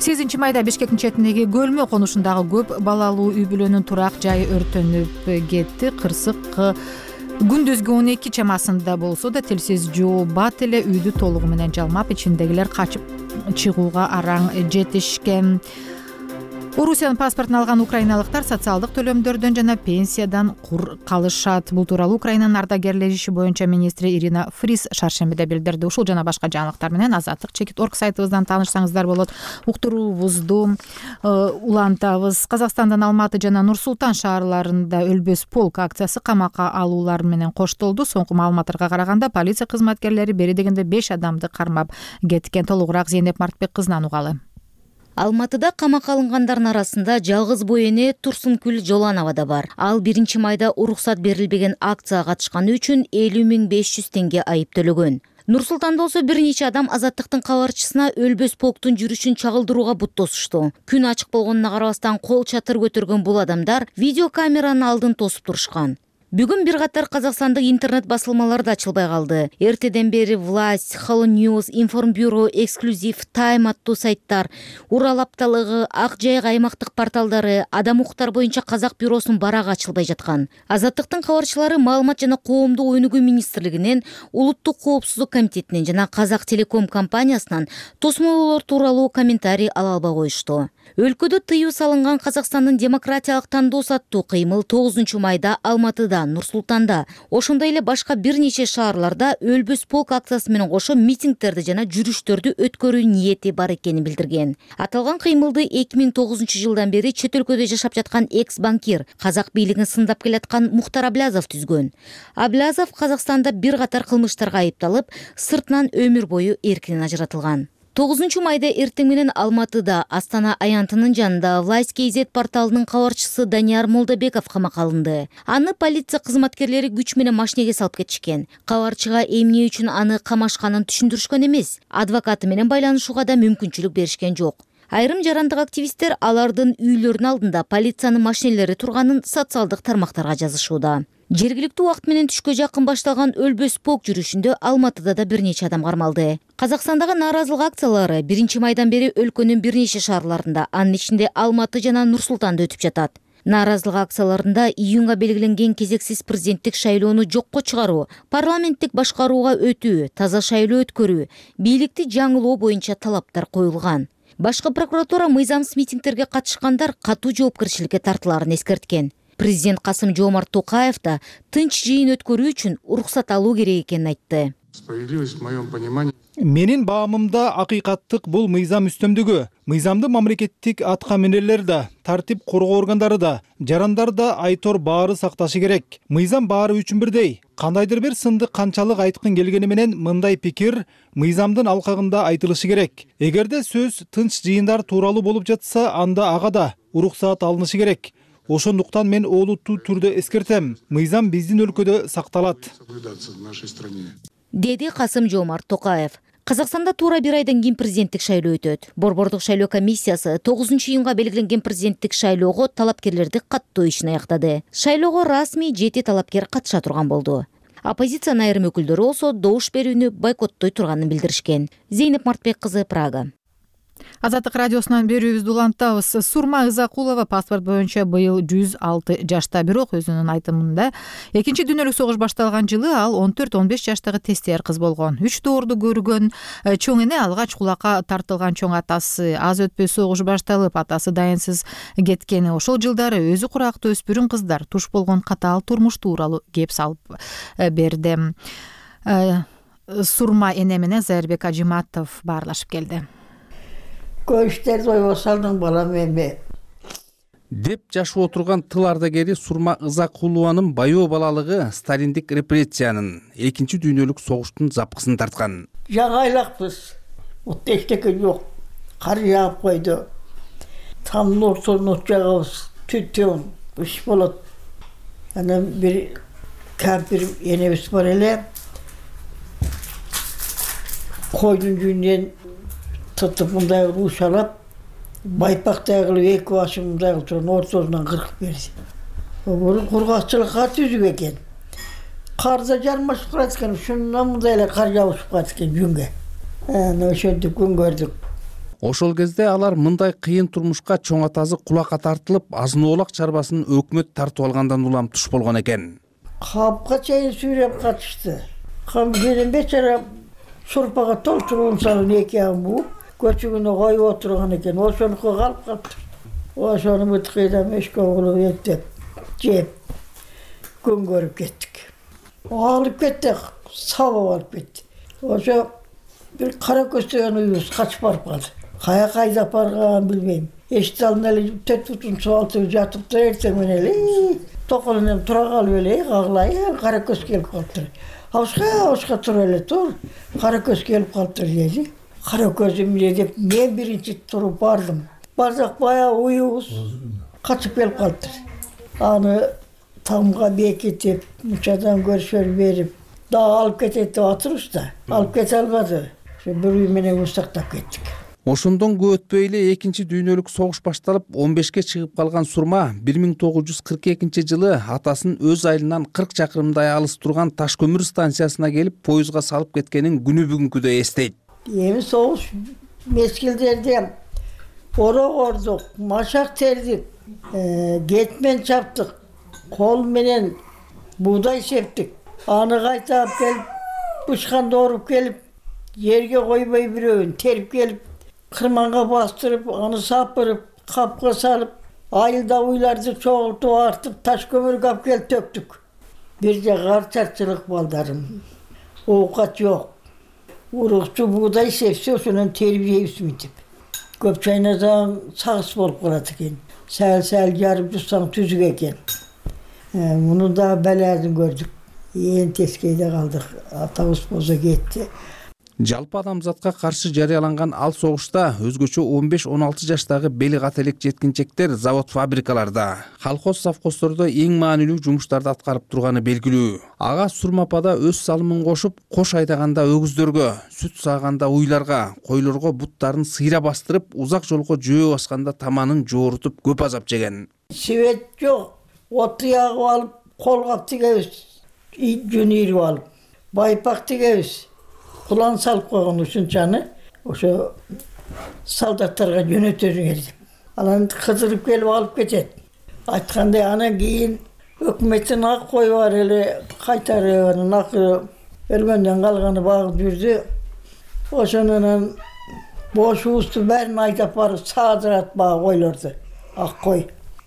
сегизинчи майда Бишкектин четиндеги Көлмө конушундагы көп балалуу үй бүлөнүн турак жайы өрттөнүп кетти. Кырсык күндүзгү он эки чамасында болсо да телсиз жоо бат эле үйдү толугу менен жалмап, ичиндегилер качып чыгууга араң жетишкен. Орусиянын паспортун алган украиналыктар социалдык төлөмдөрдөн жана пенсиядан кур калышат. Бул тууралуу Украинанын ардагерлер иши боюнча министри Ирина Фрис шаршембиде билдирди. Ушул жана башка жаңылыктар менен азаттык чекит орг сайтыбыздан таанышсаңыздар болот. Уктуруубузду улантабыз. Казакстандын Алматы жана Нур Султан шаарларында өлбөс полк акциясы камакка алуулар менен коштолду. Соңку маалыматтарга караганда полиция кызматкерлери бери дегенде беш адамды кармап кеткен. Толугураак Зейнеп Мартбек кызынан угалы. Алматыда камакка алынгандардын арасында жалгыз бой эне Турсункүл Жоланова да бар. Ал биринчи майда уруксат берилбеген акцияга катышканы үчүн элүү миң беш жүз теңге айып төлөгөн. Нур Султанда болсо бир нече адам азаттыктын кабарчысына өлбөс полктун жүрүшүн чагылдырууга бут тосушту. Күн ачык болгонуна карабастан кол чатыр көтөргөн бул адамдар видеокамеранын алдын тосуп турушкан. Бүгүн бир катар казакстандык интернет басылмалар да ачылбай калды. Эртеден бери Власть, Hello News, Информбюро, Эксклюзив, Time аттуу сайттар, Урал апталыгы, Ак Жайык аймактык порталдары, Адам укуктар боюнча Казак бюросунун барагы ачылбай жаткан. Азаттыктын кабарчылары Маалымат жана коомдук өнүгүү министрлигинен, Улуттук коопсуздук комитетинен жана Казак Телеком компаниясынан тосмолоолор тууралуу комментарий ала албай коюшту. Өлкөдө тыюу салынган Казакстандын демократиялык тандоос аттуу кыймыл тогузунчу майда Алматыда, Нур Султанда, ошондой эле башка бир нече шаарларда өлбөс полк акциясы менен кошо митингдерди жана жүрүштөрдү өткөрүү ниети бар экенин билдирген. Аталган кыймылды эки миң тогузунчу жылдан бери чет өлкөдө жашап жаткан экс-банкир, казак бийлигин сындап келаткан Мухтар Аблязов түзгөн. Аблязов Казакстанда бир катар кылмыштарга айыпталып, сыртынан өмүр бою эркинен ажыратылган. тогузунчу майда эртең менен Алматыда Астана аянтынын жанында Власть кей зет порталынын кабарчысы Данияр Молдобеков камакка алынды. Аны полиция кызматкерлери күч менен машинеге салып кетишкен. Кабарчыга эмне үчүн аны камашканын түшүндүрүшкөн эмес. Адвокаты менен байланышууга да мүмкүнчүлүк беришкен жок. Айрым жарандык активисттер алардын үйлөрүнүн алдында полициянын машинелери турганын социалдык тармактарга жазышууда. Жергиликтүү убакыт менен түшкө жакын башталган өлбөс полк жүрүшүндө Алматыда да бир нече адам кармалды. Казакстандагы нааразылык акциялары биринчи майдан бери өлкөнүн бир нече шаарларында, анын ичинде Алматы жана Нур Султанда өтүп жатат. Нааразылык акцияларында июнга белгиленген кезексиз президенттик шайлоону жокко чыгаруу, парламенттик башкарууга өтүү, таза шайлоо өткөрүү, бийликти жаңылоо боюнча талаптар коюлган. Башкы прокуратура мыйзамсыз митингдерге катышкандар катуу жоопкерчиликке тартылаарын эскерткен. Президент Касым-Жомарт Токаев да тынч жыйын өткөрүү үчүн уруксат алуу керек экенин айтты. Справедливость в моем понимании. Менин баамымда акыйкаттык бул мыйзам үстөмдүгү. Мыйзамды мамлекеттик атка минерлер да, тартип коргоо органдары да, жарандар да айтор баары сакташы керек. Мыйзам баары үчүн бирдей. Кандайдыр бир сынды канчалык айткын келгени менен мындай пикир мыйзамдын алкагында айтылышы керек. Эгерде сөз тынч жыйындар тууралуу болуп жатса, анда ага да уруксат алынышы керек. Ошондуктан мен олуттуу түрдө эскертем. Мыйзам биздин өлкөдө сакталат, деди Касым-Жомарт Токаев. Казакстанда туура бир айдан кийин президенттик шайлоо өтөт. Борбордук шайлоо комиссиясы тогузунчу июнга белгиленген президенттик шайлоого талапкерлерди каттоо ишин аяктады. Шайлоого расмий жети талапкер катыша турган болду. Оппозициянын айрым өкүлдөрү болсо добуш берүүнү бойкоттой турганын билдиришкен. Зейнеп Мартбек кызы, Прага. Азаттык радиосунан берүүбүздү улантабыз. Сурма Ызакулова паспорт боюнча быйыл жүз алты жашта, бирок өзүнүн айтымында экинчи дүйнөлүк согуш башталган жылы ал он төрт он беш жаштагы тестер кыз болгон. Үч доорду көргөн чоң эне алгач кулакка тартылган чоң атасы. Аз өтпөй согуш башталып, атасы дайынсыз кеткени. Ошол жылдары өзү курактуу өспүрүм кыздар туш болгон катаал турмуш тууралуу кеп салып берди. Сурма эне менен Зайырбек Ажиматов баарлашып келди. Көчтөрдү ойго салдың балам эми деп жашып отурган тыл ардагери Сурма Ызакулованын баяу балалыгы сталиндик репрессиянын, экинчи дүйнөлүк согуштун запкысын тарткан. Жаңы айлакпыз. Отто эчтеке жок. Кар жаап койду. Тамдын ортосуна от жагабыз. Түтүн, иш болот. Анан бир кампир энебиз бар эле. Койдун жүнүнөн тутуп мындай уушалап, байпактай кылып эки башын мындай кылып турган ортосунан кыркып берди. Бул кургакчылыкка түзүп экен. Карда жармашып калат экен, ушундан мындай эле кар жабышып калат экен жүнгө. Анан ошентип күн көрдүк. Ошол кезде алар мындай кыйын турмушка чоң атасы кулакка тартылып, азын оолак чарбасын өкмөт тартып алгандан улам туш болгон экен. Капка чейин сүйрөп катышты. Кам менен бечара шурпага толтуруп салып эки ягын бууп, көчүгүнө коюп отурган экен. Ошонуко калып калыптыр. ошону быткыйдам эшке кылып эптеп жеп күн көрүп кеттик. Алып кетти, сабап алып кетти. Ошо бир кара көз деген уюбуз качып барып калды. Кая кайда барганын билбейм. Эшик алдында эле төрт бутун суу алтып жатыптыр, эртең менен эле токолун эми тура калып эле каглай, кара көз келип калыптыр. Абышка, абышка тура эле тур. Кара көз келип калыптыр деди. Кара көз эмне деп мен биринчи туруп бардым. Бардык баягы уюбуз качып келип калыптыр. Аны тамга бекитип, мучадан көршөр берип, дагы алып кетет деп атырбыз да. Алып кете албады. Ошо бир үй менен устактап кеттик. Ошондон көп өтпөй эле экинчи дүйнөлүк согуш башталып, он бешке чыгып калган Сурма бир миң тогуз жүз кырк экинчи жылы атасын өз айылынан кырк чакырымдай алыс турган таш көмүр станциясына келип, поездга салып кеткенин күнү бүгүнкүдөй эстейт. Эми согуш мезгилдерде орогордук, машак тердик, кетмен чаптык, кол менен буудай септик. Аны кайта алып келип, бышканды оруп келип, жерге койбой бирөөнү терип келип, кырманга бастырып, аны сапырып, капка салып, айылда уйларды чогултуп артып, таш көмүргө алып келип төктүк. Бир жагы арчарчылык балдарым. Оокат жок. Урукчу буудай сепсе, ошондон терип жейбизби деп. Көп чайнасаң сагыс болуп калат экен. Сәл-сәл жарып жутсаң түзүк экен. Муну да баласын көрдүк. Ээн тескейде калдык. Атабыз болсо кетти. Жалпы адамзатка каршы жарыяланган ал согушта өзгөчө он беш он алты жаштагы бели кат элек жеткинчектер завод фабрикаларда, колхоз совхоздордо эң маанилүү жумуштарды аткарып турганы белгилүү. Ага Сурмапада өз салымын кошуп, кош айдаганда өгүздөргө, сүт сааганда уйларга, койлорго буттарын сыйра бастырып, узак жолго жөө басканда таманын жоорутуп көп азап жеген. Свет жок, отту ягып алып, колгап тигебиз, жүн ийрип алып, байпак тигебиз. Кулан салып койгон ушунчаны ошо солдаттарга жөнөтөрүңөр деп. Анан кыдырып келип алып кетет. Айткандай анан кийин өкмөттүн ак кою бар эле кайтарып, анан акыры өлгөндөн калганы багып жүрдү. Ошонун бош уусту бәрин айдап барып саадырат багы койлорду. Ак кой.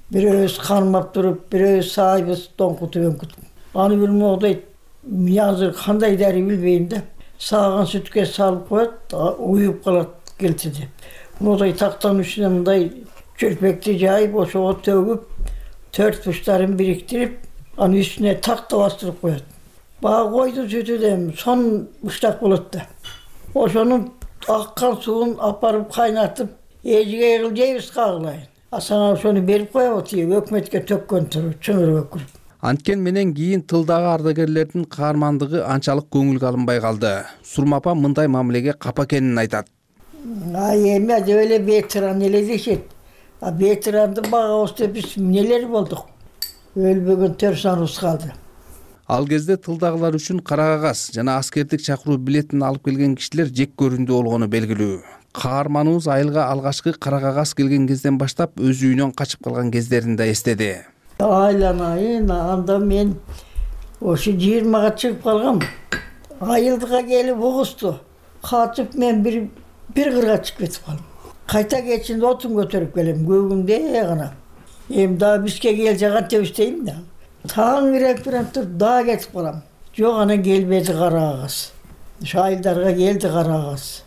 Бирөөбүз кармап туруп, бирөөбүз саайбыз доңкутуп өңкүтүп. Аны билмек дейт. Мен азыр кандай дари билбейм да. Сааган сүткө салып коет, уюп калат келти деп. Мындай тактан үстүнө мындай чөлпөктү жайып, ошого төгүп, төрт буштарын бириктирип, анын үстүнө такта бастырып коет. Бага койдун сүтү да сон буштак болот да. Ошонун аккан суун апарып кайнатып, эжиге кылып жейбиз кагылайын. А сага ошону берип коебу, тиги өкмөткө төккөн туру, чөмүргө куруп. Анткен менен кийин тылдагы ардагерлердин каармандыгы анчалык көңүлгө алынбай калды. Сурмапа мындай мамилеге капа экенин айтат. А эми деп эле ветеран эле дешет. А ветерандын багабыз деп биз эмнелер болдук? Өлбөгөн төрсаныбыз калды. Ал кезде тылдагылар үчүн кара кагаз жана аскердик чакыруу билетин алып келген кишилер жек көрүндүү болгону белгилүү. Каарманыбыз айылга алгачкы кара кагаз келген кезден баштап өз үйүнөн качып калган кездерин да эстеди. Айланайын, анда мен ошо жыйырмага чыгып калгам. Айылга келип угусту. Качып мен бир бир кырга чыгып кетип калдым. Кайта кетишинде отун көтөрүп келем, көгүмдө гана. Эми дагы бизге келсе кантип иштейм да. Таң ирек менен туруп дагы кетип калам. Жок, анан келбеди кара кагаз. Ошо айылдарга келди кара кагаз.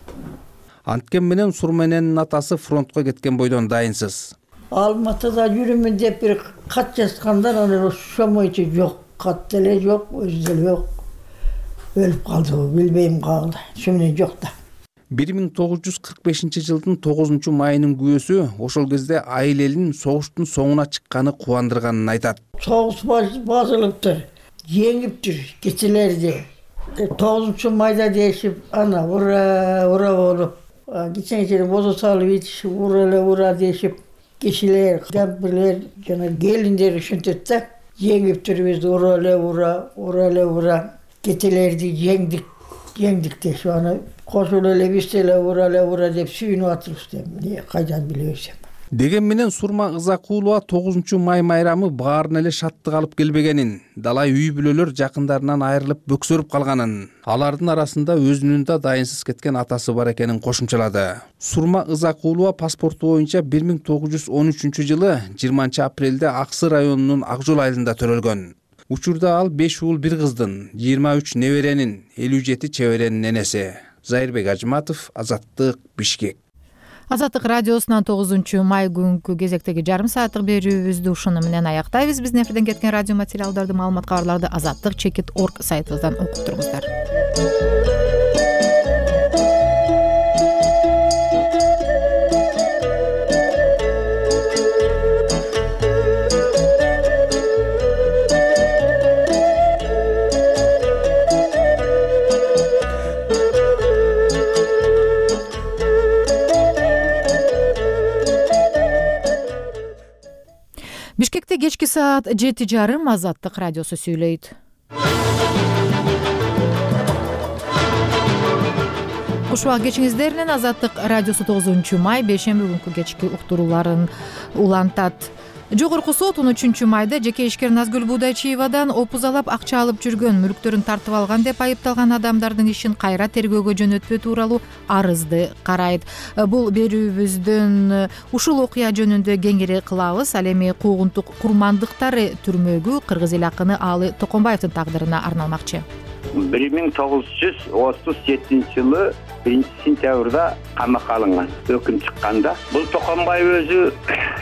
Анткен менен Сурмененин атасы фронтко кеткен бойдон дайынсыз. Алматыда жүрүмүн деп бир кат жазгандар, анан ошомойчу жок, кат деле жок, өзү деле жок. Өлүп калды, билбейм кагылды. Ошо менен жок да. бир миң тогуз жүз кырк бешинчи жылдын тогузунчу майынын күбөсү ошол кезде айыл элин согуштун соңуна чыкканы кубандырганын айтат. Согуш базылыптыр, жеңиптир кичилерди. тогузунчу майда дешип, ана ура ура болуп, кичинекей бозо салып ичишип, ура эле ура дешип, кишилер, жампирлер, жана келиндер ушинтет да. Жеңиптир бизди, ура эле ура, ура эле ура. Кетелерди жеңдик, жеңдик дешип, аны кошулуп эле биз деле ура эле ура деп сүйүнүп атырбыз деп. Эмне кайдан билебиз. деген менен Сурма Ызакулова тогузунчу май майрамы баарына эле шаттык алып келбегенин, далай үй бүлөлөр жакындарынан айрылып бөксөрүп калганын, алардын арасында өзүнүн да дайынсыз кеткен атасы бар экенин кошумчалады. Сурма Ызакулова паспорту боюнча бир миң тогуз жүз он үчүнчү жылы жыйырманчы апрелде Аксы районунун Ак жол айылында төрөлгөн. Учурда ал беш уулу бир кыздын, жыйырма үч неберенин, элүү жети чеберенин энеси. Зайырбек Ажыматов, Азаттык, Бишкек. Азаттык радиосунан тогузунчу май күнкү кезектеги жарым сааттык берүүбүздү ушуну менен аяктайбыз. Биздин эфирден кеткен радио материалдарды, маалымат кабарларды азаттык чекит точка орг сайтыбыздан окуп туруңуздар. Бишкекте кечки саат жети жарым Азаттык радиосу сүйлөйт. Куш убак кечиңиздер менен Азаттык радиосу тогузунчу май бейшемби күнкү кечки уктурууларын улантат. Жогорку сот он үчүнчү майда жеке ишкер Назгүл Будайчиевадан опузалап акча алып жүргөн, мүлктөрүн тартып алган деп айыпталган адамдардын ишин кайра тергөөгө жөнөтпөө тууралуу арызды карайт. Бул берүүбүздүн ушул окуя жөнүндө кеңири кылабыз. Ал эми куугунтук курмандыктары түрмөгү кыргыз эл акыны Аалы Токонбаевдин тагдырына арналмакчы. бир миң тогуз жүз отуз жетинчи жылы биринчи сентябрда камакка алынган. Өкүм чыкканда бул Токонбаев өзү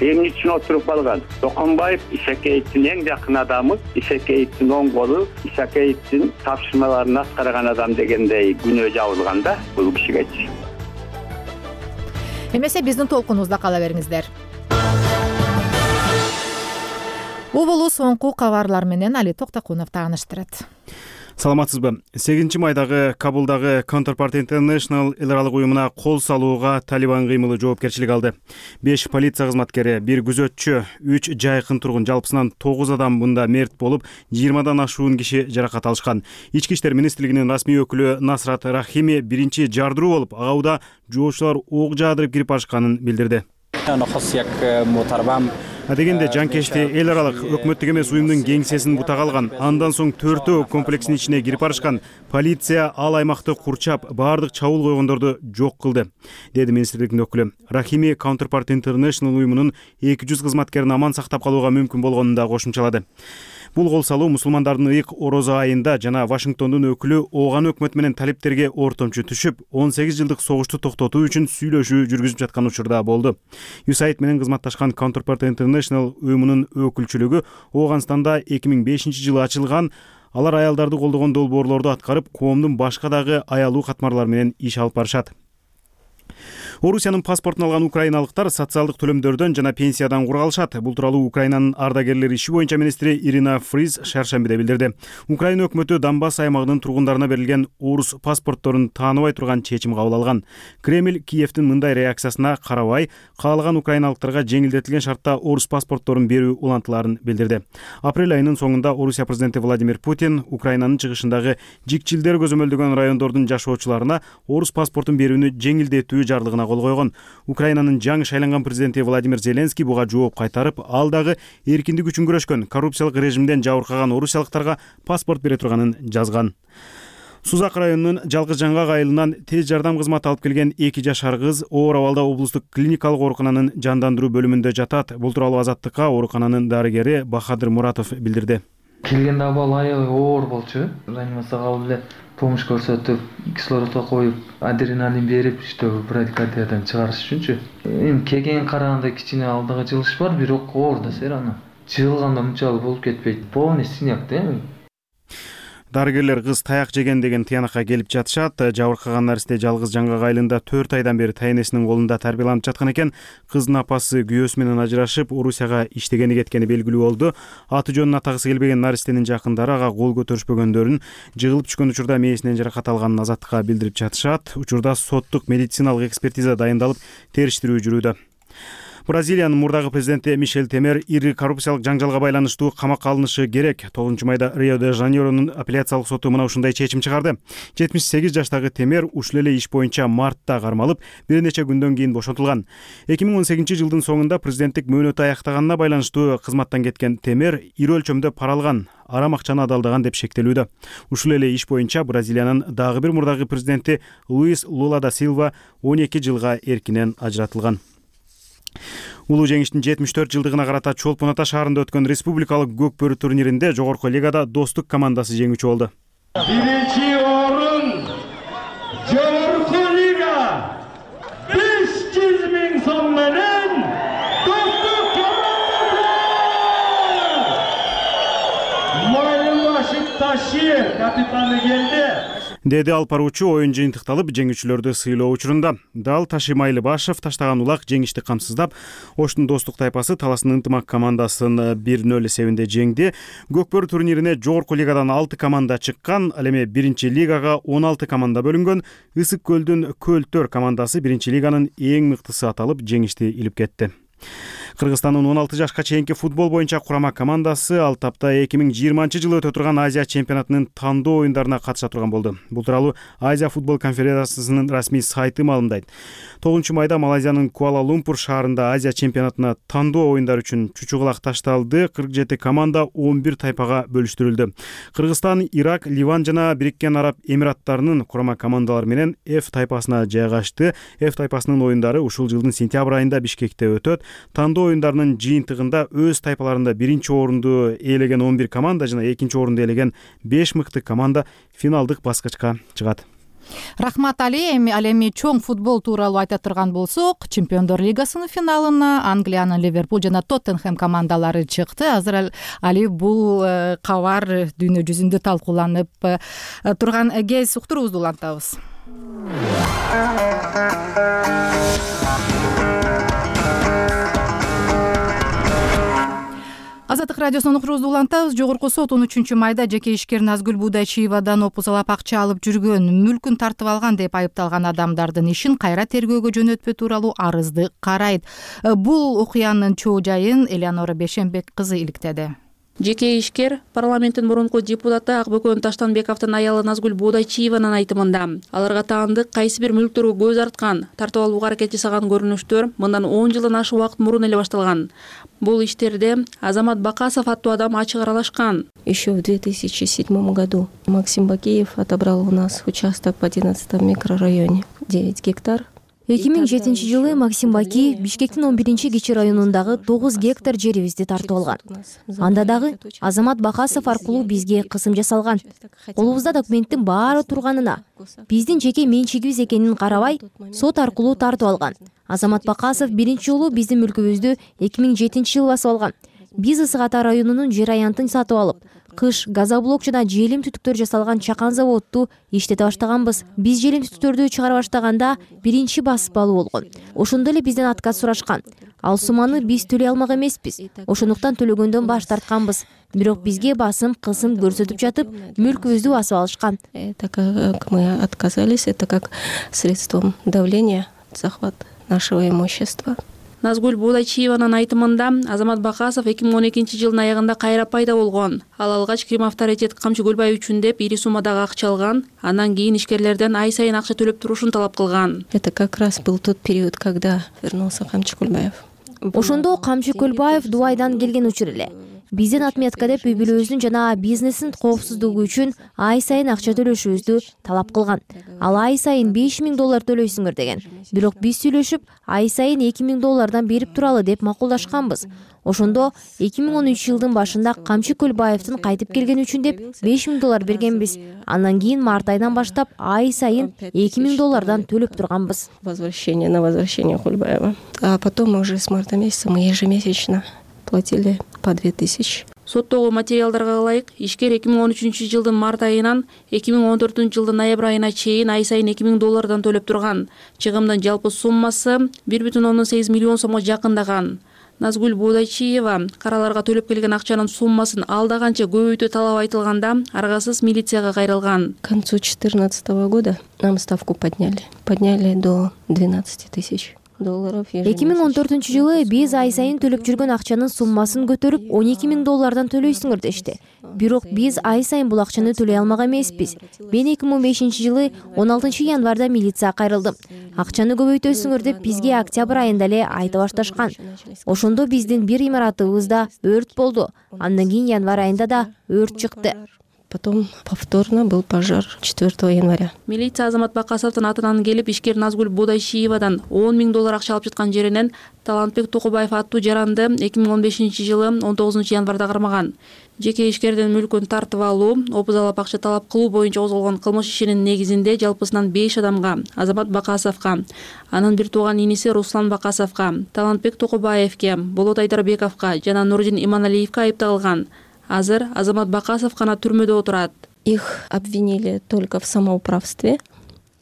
эмне үчүн отуруп калган? Токонбаев Исакеевдин эң жакын адамы, Исакеевдин оң колу, Исакеевдин тапшырмаларын аткарган адам дегендей күнөө жабылган да бул кишигечи. Эмесе биздин толкунубузда кала бериңиздер. Оболу соңку кабарлар менен Али Токтокунов тааныштырат. Саламатсызбы? сегизинчи майдагы Кабулдагы Counterpart International эл аралык уюмуна кол салууга Талибан кыймылы жоопкерчилик алды. беш полиция кызматкери, бир күзөтчү, үч жайкын тургун, жалпысынан тогуз адам мында мерт болуп, жыйырмадан ашуун киши жаракат алышкан. Ички иштер министрлигинин расмий өкүлү Насрат Рахими биринчи жардыруу болуп, ага учурда жоочулар ок жаадырып кирип барышканын билдирди. Адегенде жанкечти эл аралык өкмөттүк эмес уюмдун кеңсесин бутак алган. Андан соң төртөө комплекстин ичине кирип барышкан. Полиция ал аймакты курчап, баардык чабуул койгондорду жок кылды, деди министрликтин өкүлү. Рахими Counterpart International уюмунун эки жүз кызматкерин аман сактап калууга мүмкүн болгонун да кошумчалады. Бул кол салуу мусулмандардын ыйык орозо айында жана Вашингтондун өкүлү Ооган өкмөт менен талиптерге ортомчу түшүп, он сегиз жылдык согушту токтотуу үчүн сүйлөшүү жүргүзүп жаткан учурда болду. ю эс эй ай ди менен кызматташкан Counterpart International уюмунун өкүлчүлүгү Ооганстанда эки миң бешинчи жылы ачылган. Алар аялдарды колдогон долбоорлорду аткарып, коомдун башка дагы аялуу катмарлары менен иш алып барышат. Орусиянын паспортун алган украиналыктар социалдык төлөмдөрдөн жана пенсиядан кургалышат. Бул тууралуу Украинанын ардагерлер иши боюнча министри Ирина Фриз шаршембиде билдирди. Украина өкмөтү Донбасс аймагынын тургундарына берилген орус паспортторун тааныбай турган чечим кабыл алган. Кремль Киевдин мындай реакциясына карабай, каалаган украиналыктарга жеңилдетилген шартта орус паспортторун берүү улантыларын билдирди. Апрель айынын соңунда Орусия президенти Владимир Путин Украинанын чыгышындагы жикчилдер көзөмөлдөгөн райондордун жашоочуларына орус паспортун берүүнү жеңилдетүү жарлыгына кол койгон. Украинанын жаңы шайланган президенти Владимир Зеленский буга жооп кайтарып, ал дагы эркиндик үчүн күрөшкөн, коррупциялык режимден жабыркаган орусиялыктарга паспорт бере турганын жазган. Сузак районунун Жалгыз Жаңгак айылынан тез жардам кызматы алып келген эки жашар кыз оор абалда облустук клиникалык оорукананын жандандыруу бөлүмүндө жатат. Бул тууралуу Азаттыкка оорукананын дарыгери Бахадыр Муратов билдирди. Келгенде абал аябай оор болчу. Реанимацияга алып эле помощь көрсөтүп, кислородго коюп, адреналин берип, иштөө брадикардиядан чыгарыш үчүнчү. Эми келген караганда кичине алдыга жылыш бар, бирок оор да сер аны. Жыгылганда мынчалык болуп кетпейт. Полный синяк да эми. Дарыгерлер кыз таяк жеген деген тыянакка келип жатышат. Жабыркаган наристе Жалгыз Жаңгак айылында төрт айдан бери тайнесинин колунда тарбияланып жаткан экен. Кыздын апасы күйөөсү менен ажырашып, Орусияга иштегени кеткени белгилүү болду. Аты жөнүн атагысы келбеген наристенин жакындары ага кол көтөрүшпөгөндөрүн, жыгылып түшкөн учурда мээсинен жаракат алганын Азаттыкка билдирип жатышат. Учурда соттук медициналык экспертиза дайындалып, териштирүү жүрүүдө. Бразилиянын мурдагы президенти Мишель Темер ири коррупциялык жаңжалга байланыштуу камакка алынышы керек. тогузунчу майда Рио-де-Жанейронун апелляциялык соту мына ушундай чечим чыгарды. жетимиш сегиз жаштагы Темер ушул эле иш боюнча мартта кармалып, бир нече күндөн кийин бошотулган. эки миң он сегизинчи жылдын соңунда президенттик мөөнөтү аяктаганына байланыштуу кызматтан кеткен Темер ири өлчөмдө пара алган, арам акчаны адалдаган деп шектелүүдө. Ушул эле иш боюнча Бразилиянын дагы бир мурдагы президенти Луис Лула да Силва он эки жылга эркинен ажыратылган. Улуу жеңиштин жетимиш төрт жылдыгына карата Чолпон Ата шаарында өткөн республикалык көкбөрү турниринде жогорку лигада Достук командасы жеңүүчү болду. Биринчи орун жогорку лига беш жүз миң сом менен Достук командасы. Майылбашев Ташир капитаны келди. Деди алпаруучу оюн жыйынтыкталып, жеңүүчүлөрдү сыйлоо учурунда. Дал Таши Майлыбашев таштаган улак жеңишти камсыздап, Оштун Достук тайпасы Таластын Ынтымак командасын бир нөл эсебинде жеңди. Көкбөрү турнирине жогорку лигадан алты команда чыккан, ал эми биринчи лигага он алты команда бөлүнгөн. Ысык көлдүн Көлтөр командасы биринчи лиганын эң мыктысы аталып, жеңишти илип кетти. Кыргызстандын он алты жашка чейинки футбол боюнча курама командасы ал тапта эки миң жыйырманчы жылы өтө турган Азия чемпионатынын тандоо оюндарына катыша турган болду. Бул тууралуу Азия футбол конфедерациясынын расмий сайты маалымдайт. тогузунчу майда Малайзиянын Куала-Лумпур шаарында Азия чемпионатына тандоо оюндар үчүн чучугулак ташталды. кырк жети команда он бир тайпага бөлүштүрүлдү. Кыргызстан, Ирак, Ливан жана Бириккен Араб Эмираттарынын курама командалары менен F тайпасына жайгашты. F тайпасынын оюндары ушул жылдын сентябрь айында Бишкекте өтөт. Тандоо оюндарынын жыйынтыгында өз тайпаларында биринчи орунду ээлеген он бир команда жана экинчи орунду ээлеген беш мыкты команда финалдык баскычка чыгат. Рахмат Али. Эми ал эми чоң футбол тууралуу айта турган болсок, Чемпиондор лигасынын финалына Англиянын Ливерпуль жана Тоттенхэм командалары чыкты. Азыр Али бул кабар дүйнө жүзүндө талкууланып турган кез уктуруубузду улантабыз. Азаттык радиосунун уктуруубузду улантабыз. Жогорку сот он үчүнчү майда жеке ишкер Назгүл Будайчиевадан опузалап акча алып жүргөн, мүлкүн тартып алган деп айыпталган адамдардын ишин кайра тергөөгө жөнөтпөө тууралуу арызды карайт. Бул окуянын чоо жайын Элеонора Бешенбек кызы иликтеди. Жеке ишкер парламенттин мурунку депутаты Акбөкөн Таштанбековдун аялы Назгүл Будайчиеванын айтымында аларга таандык кайсы бир мүлктөргө көз арткан, тартып алууга аракет жасаган көрүнүштөр мындан он жылдан ашык убакыт мурун эле башталган. Бул иштерде Азамат Бакасов аттуу адам ачык аралашкан. Еще в две тысячи седьмом году Максим Бакиев отобрал у нас участок в одиннадцатом микрорайоне, девять гектар. эки миң жетинчи жылы Максим Бакиев Бишкектин он биринчи кичи районундагы тогуз гектар жерибизди тартып алган. Анда дагы Азамат Бакасов аркылуу бизге кысым жасалган. Колубузда документтин баары турганына, биздин жеке менчигибиз экенин карабай, сот аркылуу тартып алган. Азамат Бакасов биринчи жолу биздин мүлкүбүздү эки миң жетинчи жылы басып алган. Биз Ысык Ата районунун жер аянтын сатып алып, кыш газоблок жана желим түтүктөр жасалган чакан заводду иштете баштаганбыз. Биз желим түтүктөрдү чыгара баштаганда биринчи басып алуу болгон. Ошондо эле бизден отказ сурашкан. Ал сумманы биз төлөй алмак эмеспиз. Ошондуктан төлөгөндөн баш тартканбыз. Бирок бизге басым, кысым көрсөтүп жатып, мүлкүбүздү басып алышкан. Это как мы отказались, это как средством давления, захват нашего имущества. Назгүл Будайчиеванын айтымында Азамат Бакасов эки миң он экинчи жылдын аягында кайра пайда болгон. Ал алгач Крим авторитет Камчы Көлбаев үчүн деп ири суммадагы акча алган, андан кийин ишкерлерден ай сайын акча төлөп турушун талап кылган. Это как раз был тот период, когда вернулся Камчы Көлбаев. Ошондо Камчы Көлбаев Дубайдан келген учур эле. Биздин отметка деп үй бүлөбүздүн жана бизнестин коопсуздугу үчүн ай сайын акча төлөшүбүздү талап кылган. Ал ай сайын беш миң доллар төлөйсүңөр деген. Бирок биз сүйлөшүп, ай сайын эки миң доллардан берип туралы деп макулдашканбыз. Ошондо эки миң он үчүнчү жылдын башында Камчы Көлбаевдин кайтып келгени үчүн деп беш миң доллар бергенбиз. Андан кийин март айынан баштап ай сайын эки миң доллардан төлөп турганбыз. Возвращение на возвращение Көлбаева. А потом уже с марта месяца мы ежемесячно платили по две тысячи. Соттогу материалдарга ылайык, ишкер эки миң он үчүнчү жылдын март айынан эки миң он төртүнчү жылдын ноябрь айына чейин ай сайын эки миң доллардан төлөп турган. Чыгымдын жалпы суммасы бир бүтүн ондон сегиз миллион сомго жакындаган. Назгүл Будайчиева караларга төлөп келген акчанын суммасын алда канча көбөйтүү талабы айтылганда аргасыз милицияга кайрылган. К концу две тысячи четырнадцатого года нам ставку подняли. Подняли до двенадцати тысяч. долларов эки миң он төртүнчү жылы биз ай сайын төлөп жүргөн акчанын суммасын көтөрүп он эки миң доллардан төлөйсүңөр дешти. Бирок биз ай сайын бул акчаны төлөй алмак эмеспиз. Мен эки миң он бешинчи жылы он алтынчы январда милицияга кайрылдым. Акчаны көбөйтөсүңөр деп бизге октябрь айында эле айта башташкан. Ошондо биздин бир имаратыбызда өрт болду. Андан кийин январь айында да өрт чыкты. Потом повторно был пожар четвёртого января. Милиция Азамат Бакасовдун атынан келип, ишкер Назгүл Бодайшиевадан он миң доллар акча алып жаткан жеринен Талантбек Токубаев аттуу жаранды эки миң он бешинчи жылы он тогузунчу январда кармаган. Жеке ишкердин мүлкүн тартып алуу, опузалап акча талап кылуу боюнча козголгон кылмыш ишинин негизинде жалпысынан беш адамга, Азамат Бакасовго, анын бир тууган иниси Руслан Бакасовго, Талантбек Токубаевге, Болот Айдарбековго жана Нурдин Иманалиевге айып тагылган. Азыр Азамат Бакасов гана түрмөдө отурат. Их обвинили только в самоуправстве.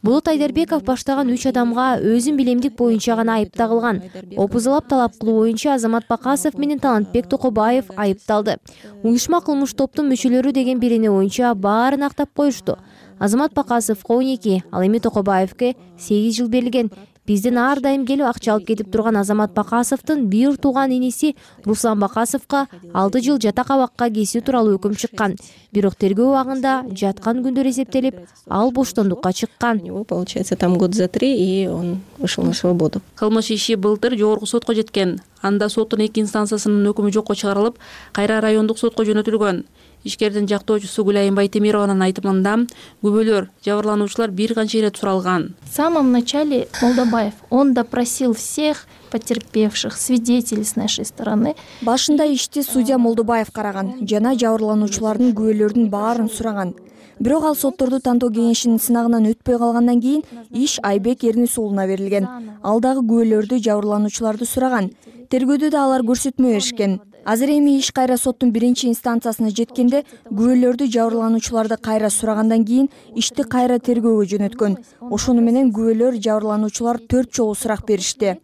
Болот Айдарбеков баштаган үч адамга өзүн билемдик боюнча гана айып тагылган. Опузалап талап кылуу боюнча Азамат Бакасов менен Талантбек Токубаев айыпталды. Уюшма кылмыш топтун мүчөлөрү деген бирине боюнча баарын актап коюшту. Азамат Бакасовго он эки, ал эми Токубаевге сегиз жыл берилген. Бизден ар дайым келип акча алып кетип турган Азамат Бакасовдун бир тууган иниси Руслан Бакасовго алты жыл жатак абакка кесүү тууралуу өкүм чыккан. Бирок тергөө убагында жаткан күндөр эсептелип, ал боштондукка чыккан. Получается, там год за три, и он вышел на свободу. Кылмыш иши былтыр жогорку сотко жеткен. Анда соттун эки инстанциясынын өкүмү жокко чыгарылып, кайра райондук сотко жөнөтүлгөн. Ишкердин жактоочусу Гүлайым Байтемированын айтымында күбөлөр, жабырлануучулар бир канча ирет суралган. В самом начале Молдобаев, он допросил всех потерпевших, свидетелей с нашей стороны. Башында ишти судья Молдобаев караган, жана жабырлануучулардын күбөлөрдүн баарын сураган. Бирок ал сотторду тандоо кеңешинин сынагынан өтпөй калгандан кийин иш Айбек Эрнис уулуна берилген. Ал дагы күбөлөрдү, жабырлануучуларды сураган. Тергөөдө да алар көрсөтмө беришкен. Азыр эми иш кайра соттун биринчи инстанциясына жеткенде күбөлөрдү, жабырлануучуларды кайра сурагандан кийин ишти кайра тергөөгө жөнөткөн. Ошону менен күбөлөр, жабырлануучулар төрт жолу сурак беришти.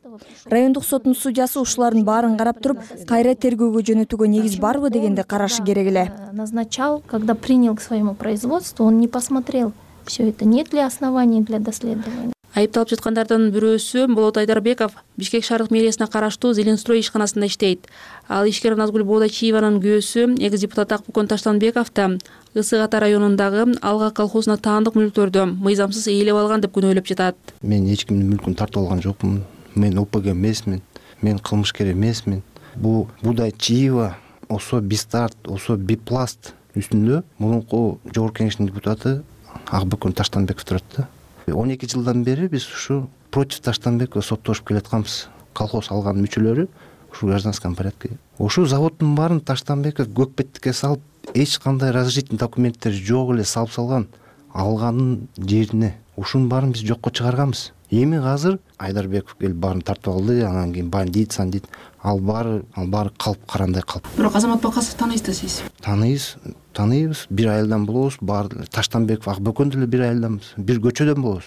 Райондук соттун судьясы ушулардын баарын карап туруп, кайра тергөөгө жөнөтүүгө негиз барбы дегенди карашы керек эле. Назначал, когда принял к своему производству, он не посмотрел все это, нет ли оснований для доследования. Айыпталып жаткандардын бирөөсү Болот Айдарбеков Бишкек шаардык мэриясына караштуу Зеленстрой ишканасында иштейт. Ал ишкер Назгүл Бодайчиеванын күйөөсү экс депутат Акбүкөн Таштанбеков да Ысык Ата районундагы Алга колхозуна таандык мүлктөрдү мыйзамсыз ээлеп алган деп күнөөлөп жатат. Мен эч кимдин мүлкүн тартып алган жокмун. Мен О П Г эмесмин. Мен кылмышкер эмесмин. Бул Бодайчиева, Осо Бистарт, Осо Бипласт үстүндө мурунку жогорку кеңештин депутаты Акбүкөн Таштанбеков турат да. он эки жылдан бери биз ушу против Таштанбекова соттошуп келатканбыз. Колхоз алган мүчөлөрү ушу гражданском порядке. Ошол заводдун баарын Таштанбеков көкпеттикке салып, эч кандай разрешительный документтер жок эле салып салган. Алганын жерине ушунун баарын биз жокко чыгарганбыз. Эми азыр Айдарбеков келип баарын тартып алды, анан кийин бандит, сандит, ал баары, ал баары калп карандай калп. Бирок Азамат Бакасов тааныйсыздар сиз? Тааныйбыз, тааныйбыз. Бир айылдан болобуз, баары Таштанбеков, Акбөкөн деле бир айылданбыз. Бир көчөдөн болобуз.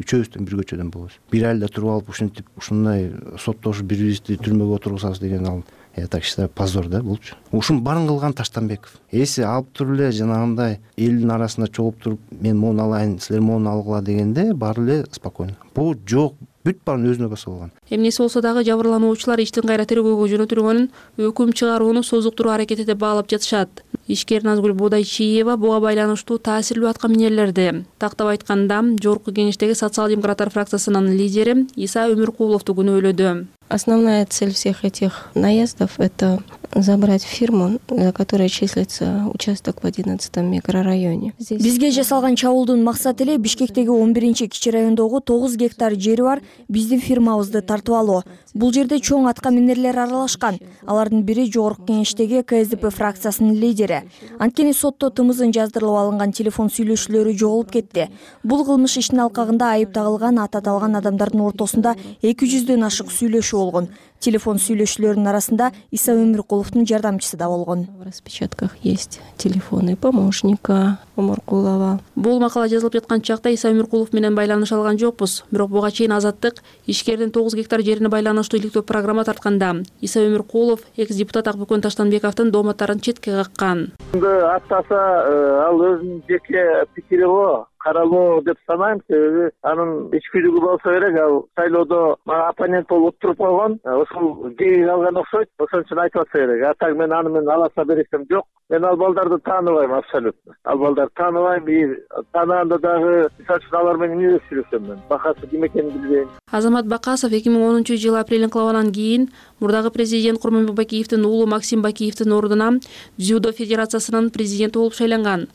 Үчөөбүздөн бир көчөдөн болобуз. Бир айылда туруп алып ушинтип, ушундай соттошуп бири-бирибизди түрмөгө отургузабыз деген ал я так считаю позор да болчу. Ушун баарын кылган Таштанбеков. Эси алып туруп эле жанагындай элдин арасында чогуп туруп, мен моуну алайын, силер моуну алгыла дегенде баары эле спокойно. Бул жок, бүт баарын өзүнө баса болгон. Эмнеси болсо дагы жабырлануучулар иштин кайра тергөөгө жөнөтүлгөнүн өкүм чыгарууну созуктуруу аракети деп баалап жатышат. Ишкер Назгүл Бодайчиева буга байланыштуу таасирлүү атка минерлерди. Тактап айтканда, жогорку кеңештеги социал-демократтар фракциясынын лидери Иса Өмүркуловду күнөөлөдү. Основная цель всех этих наездов – это забрать фирму, за которой числится участок в одиннадцатом микрорайоне. Бизге жасалган чабуулдун максаты эле Бишкектеги он биринчи кичи райондогу тогуз гектар жери бар биздин фирмабызды тартып алуу. Бул жерде чоң атка минерлер аралашкан. Алардын бири жогорку кеңештеги К С Д П фракциясынын лидери. Анткени сотто тымызын жаздырылып алынган телефон сүйлөшүүлөрү жоголуп кетти. Бул кылмыш ишинин алкагында айып тагылган ат аталган адамдардын ортосунда эки жүздөн ашык сүйлөшүү болгон. телефон сүйлөшүүлөрүнүн арасында Иса Өмүркуловдун жардамчысы да болгон. В распечатках есть телефоны помощника Омуркулова. Бул макала жазылып жаткан чакта Иса Өмүркулов менен байланыш алган жокпуз. Бирок буга чейин Азаттык ишкердин тогуз гектар жерине байланыштуу иликтөө программа тартканда Иса Өмүркулов экс депутат Акбөкөн Таштанбековдун дооматтарын четке каккан. Аттаса ал өзүнүн жеке пикири го. Каралоо деп санайм, себеби анын ичкилиги болсо керек. Ал шайлоодо мага оппонент болуп туруп койгон, ошол жеги алган окшойт, ошон үчүн айтып атса керек. А так мен аны менен аласа бересем жок. Мен ал балдарды тааныбайм абсолютно. Ал балдарды тааныбайм, и таанаганда дагы мисалы үчүн алар менен эмне деп сүйлөшөм мен? Бакасы ким экенин билбейм. Азамат Бакасов эки миң онунчу жылы апрель инкылабынан кийин мурдагы президент Курманбек Бакиевдин уулу Максим Бакиевдин ордуна дзюдо федерациясынын президенти болуп шайланган.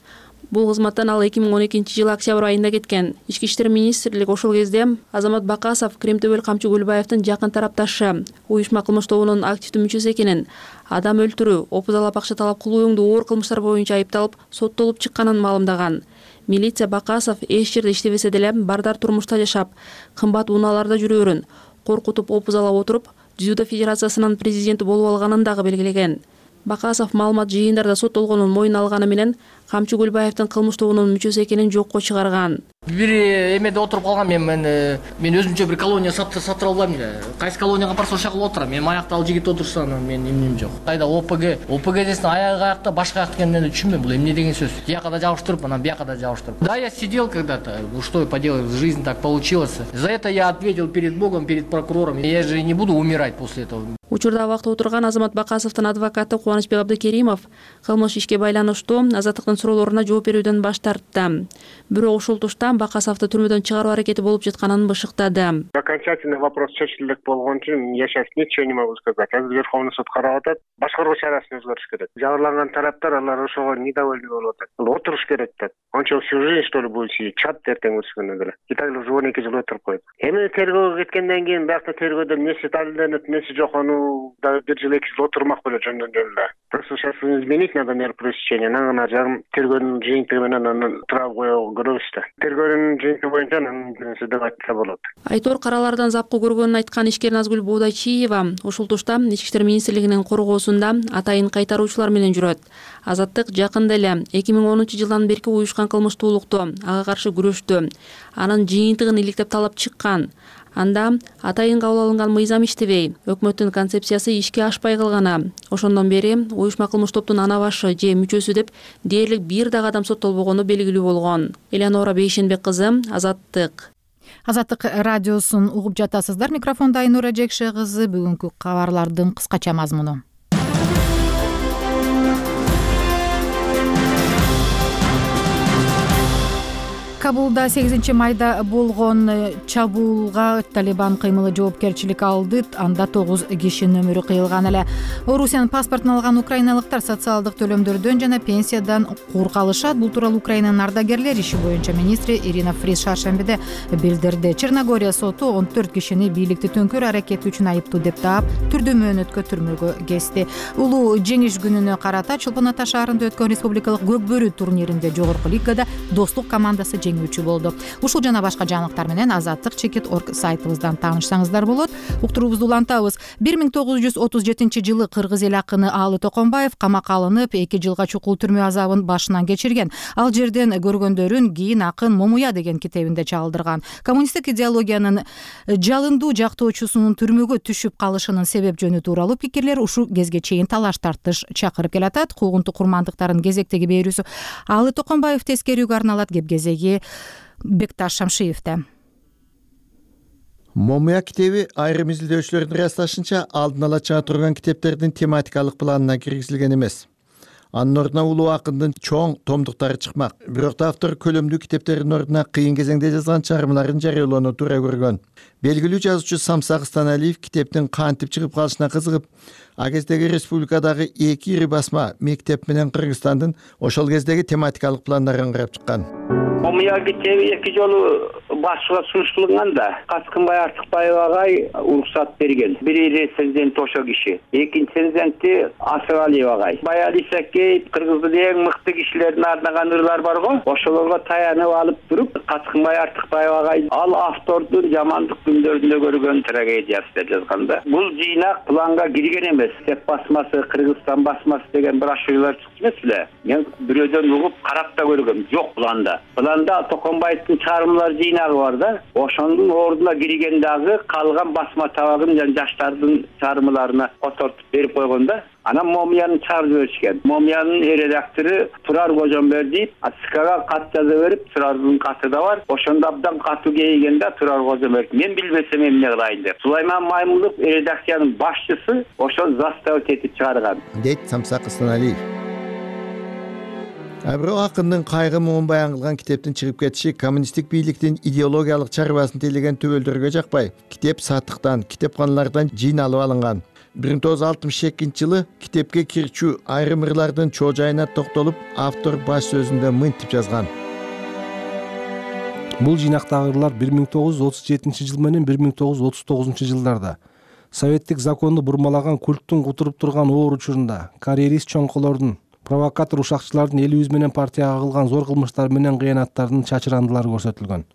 Бул кызматтан ал эки миң он экинчи жылы октябрь айында кеткен. Ички иштер министрлиги ошол кезде Азамат Бакасов Кремтөбөл Камчы Гүлбаевдин жакын тарапташы, уюшма кылмыш тобунун активдүү мүчөсү экенин, адам өлтүрүү, опузалап акча талап кылуу өңдүү оор кылмыштар боюнча айыпталып, соттолуп чыкканын маалымдаган. Милиция Бакасов эч жерде иштебесе деле бардар турмушта жашап, кымбат унааларда жүрөөрүн, коркутуп опузалап отуруп, дзюдо федерациясынын президенти болуп алганын дагы белгилеген. Бакасов маалымат жыйындарда соттолгонун мойнуна алганы менен Камчы Гүлбаевдин кылмыш тобунун мүчөсү экенин жокко чыгарган. Бир эмеде отуруп калгам мен мен мен өзүмчө бир колония сатып албайм эле. Кайсы колонияга барса ошол жака отурам. Мен аякта ал жигит отурса мен эмнем жок. Кайда ОПГ, ОПГ десин аягы аякта, башка аякта экенин түшүнбөйм. Бул эмне деген сөз? Тияка да жабыштырып, анан бияка да жабыштырып. Да, я сидел когда-то. Что поделать, жизнь так получилась. За это я ответил перед Богом, перед прокурором. Я же не буду умирать после этого. Учурда абакта отурган Азамат Бакасовдун адвокаты Кубанычбек Абдыкеримов кылмыш ишке байланыштуу Азаттыктын суроолоруна жооп берүүдөн баш тартты. Бирок ушул тушта Бакасовду түрмөдөн чыгаруу аракети болуп жатканын бышыктады. Окончательный вопрос чечилдик болгон үчүн я сейчас ничего не могу сказать. Азыр Верховный суд карап атат. Башкаруу чарасын өзгөртүш керек. Жабырланган тараптар алар ошого недовольны болуп атат. Отуруш керек деп. Ончо всю жизнь что ли будет сидеть? Чат эртең өчкөндө деле. И так уже он эки жыл отуруп койду. Эми тергөөгө кеткенден кийин биякта тергөөдө эмнеси далилденип, эмнеси жок, аны да бир жыл эки жыл отурмак беле жөндөн эле. Просто сейчас изменить надо меру пресечения. Анан жарым тергөөнүн жыйынтыгы менен аны турап коюу көрөбүз да. Тергөөнүн жыйынтыгы боюнча анын нерсе деп айтса болот. Айтор каралардан запкы көргөнүн айткан ишкер Назгүл Боодайчиева ушул тушта Ички иштер министрлигинин коргоосунда атайын кайтаруучулар менен жүрөт. Азаттык жакында эле эки миң онунчу жылдан берки уюшкан кылмыштуулукту, ага каршы күрөштү, анын жыйынтыгын иликтеп талап чыккан. Анда атайын кабыл алынган мыйзам иштебей, өкмөттүн концепциясы ишке ашпай калганы. Ошондон бери уюшма кылмыш топтун ана башы же мүчөсү деп дээрлик бир дагы адам соттолбогону белгилүү болгон. Элеонора Бейшенбек кызы, Азаттык. Азаттык радиосун угуп жатасыздар. Микрофондо Айнура Жекше кызы. Бүгүнкү кабарлардын кыскача мазмуну. Кабулда сегизинчи майда болгон чабуулга Талибан кыймылы жоопкерчилик алды. Анда тогуз кишинин өмүрү кыйылган эле. Орусиянын паспортун алган украиналыктар социалдык төлөмдөрдөн жана пенсиядан кур калышат. Бул тууралуу Украинанын ардагерлер иши боюнча министри Ирина Фриз шаршембиде билдирди. Черногория соту он төрт кишини бийликти төңкөрүү аракети үчүн айыптуу деп таап, түрдүү мөөнөткө түрмөгө кести. Улуу жеңиш күнүнө карата Чолпон Ата шаарында өткөн республикалык көк бөрү турниринде жогорку лигада Достук командасы жеңүүчү болду. Ушул жана башка жаңылыктар менен азаттык чекит точка орг сайтыбыздан таанышсаңыздар болот. Уктуруубузду улантабыз. бир миң тогуз жүз отуз жетинчи жылы кыргыз эл акыны Аалы Токонбаев камакка алынып, эки жылга чукул түрмө азабын башынан кечирген. Ал жерден көргөндөрүн кийин акын Момуя деген китебинде чалдырган. Коммунисттик идеологиянын жалындуу жактоочусунун түрмөгө түшүп калышынын себеп жөнү тууралуу пикирлер ушул кезге чейин талаш тартыш чакырып келатат. Куугунтук курмандыктарын кезектеги берүүсү Аалы Токонбаев тескерүүгө арналат. Кепкезеги Бекташ Шамшиевде. Момуя китеби айрым изилдөөчүлөрдүн ырасташынча алдын ала чыга турган китептердин тематикалык планына киргизилген эмес. Анын ордуна улуу акындын чоң томдуктары чыкмак. Бирок да автор көлөмдүү китептердин ордуна кыйын кезеңде жазган чыгармаларын жарыялоону туура көргөн. Белгилүү жазуучу Самсак Станалиев китептин кантип чыгып калышына кызыгып, а кездеги республикадагы эки ири басма Мектеп менен Кыргызстандын ошол кездеги тематикалык пландарын карап чыккан. момуя китеби эки жолу башчыга сунуштулган да Каскынбай Артыкбаев агай уруксат берген. Бири рецензент ошо киши, экинчи рецензенти Асыралиев агай. Баял Исакеев Кыргыздын эң мыкты кишилерин арнаган ырлар бар го, ошолорго таянып алып туруп Каскынбай Артыкбаев агай ал автордун жамандык күндөрүндө көргөн трагедиясы деп жазганда. Бул жыйнак планга кирген эмес. Сеп басмасы, Кыргызстан басмасы деген брошюралар чыкты эмес беле? Мен бирөөдөн угуп карап да көргөм. Жок планда. Планда Токонбаевдин чыгармалар жыйнагы бар да. Ошонун ордуна кирген дагы калган басма табагын жана жаштардын чыгармаларына котортуп берип койгон да. Анан момуяны чыгарып жиберишкен. Момуянын редактору Турар Кожомбердиев СКга кат жаза берип, Турардын каты да бар. Ошондо абдан катуу кейген да Турар Кожомбердиев. Мен билбесем эмне кылайын деп. Сулайман Маймулов редакциянын башчысы ошол заставить этип чыгарган. Дейт Самсак Ыстаналиев. А бирок акындын кайгы муун баян кылган китептин чыгып кетиши коммунисттик бийликтин идеологиялык чарбасын тейлеген төбөлдөргө жакпай, китеп сатыктан, китепканалардан жыйналып алынган. бир миң тогуз жүз алтымыш экинчи жылы китепке кирчүү айрым ырлардын чоо-жайына токтолуп, автор баш сөзүндө мынтип жазган. Бул жыйнактагы ырлар бир миң тогуз жүз отуз жетинчи жыл менен бир миң тогуз жүз отуз тогузунчу жылдарда советтик законду бурмалаган культтун кутуруп турган оор учурунда карьерист чоңколордун, провокатор ушакчылардын элибиз менен партияга кылган зор кылмыштар менен кыянаттардын чачырандылары көрсөтүлгөн.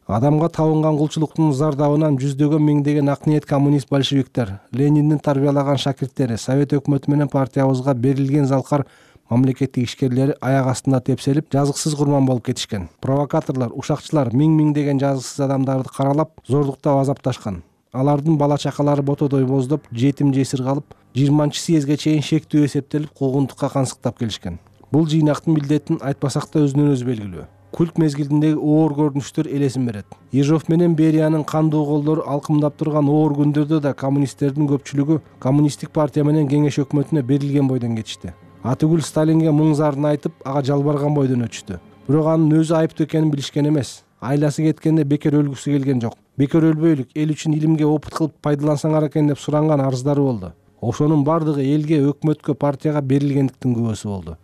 Адамга табынган кулчулуктун зардабынан жүздөгөн миңдеген ак ниет коммунист большевиктер, Лениндин тарбиялаган шакирттери, совет өкмөтү менен партиябызга берилген залкар мамлекеттик ишкерлери аяк астында тепселип, жазыксыз курман болуп кетишкен. Провокаторлор, ушакчылар миң-миңдеген жазыксыз адамдарды каралап, зордуктап азапташкан. Алардын бала чакалары ботодой боздоп, жетим жесир калып, жыйырманчы съездге чейин шектүү эсептелип, куугунтукка кансыктап келишкен. Бул жыйнактын милдетин айтпасак да өзүнөн өзү белгилүү. Культ мезгилиндеги оор көрүнүштөр элесин берет. Ежов менен Бериянын кандуу колдору алкымдап турган оор күндөрдө да коммунисттердин көпчүлүгү коммунисттик партия менен кеңеш өкмөтүнө берилген бойдон кетишти. Атүгүл Сталинге муң зарын айтып, ага жалбарган бойдон өтүштү. Бирок анын өзү айыптуу экенин билишкен эмес. Айласы кеткенде бекер өлгүсү келген жок. Бекер өлбөйлүк, эл үчүн илимге опыт кылып пайдалансаңар экен деп суранган арыздары болду. Ошонун бардыгы элге, өкмөткө, партияга берилгендиктин күбөсү болду.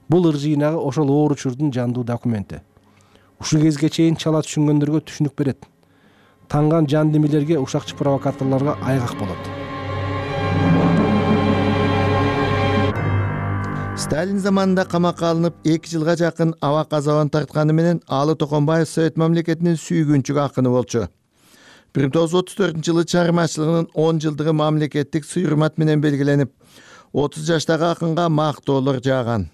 Бул ыр жыйнагы ошол оор учурдун жандуу документи. Ушул кезге чейин чала түшүнгөндөргө түшүнүк берет. Танган жан демилерге, ушакчы провокаторлорго айгак болот. Сталин заманында камакка алынып, эки жылга жакын абак азабын тартканы менен Алы Токонбаев Совет мамлекетинин сүйгүнчү акыны болчу. бир миң тогуз жүз отуз төртүнчү жылы чыгармачылыгынын он жылдыгы мамлекеттик сый-урмат менен белгиленип, отуз жаштагы акынга мактоолор жааган.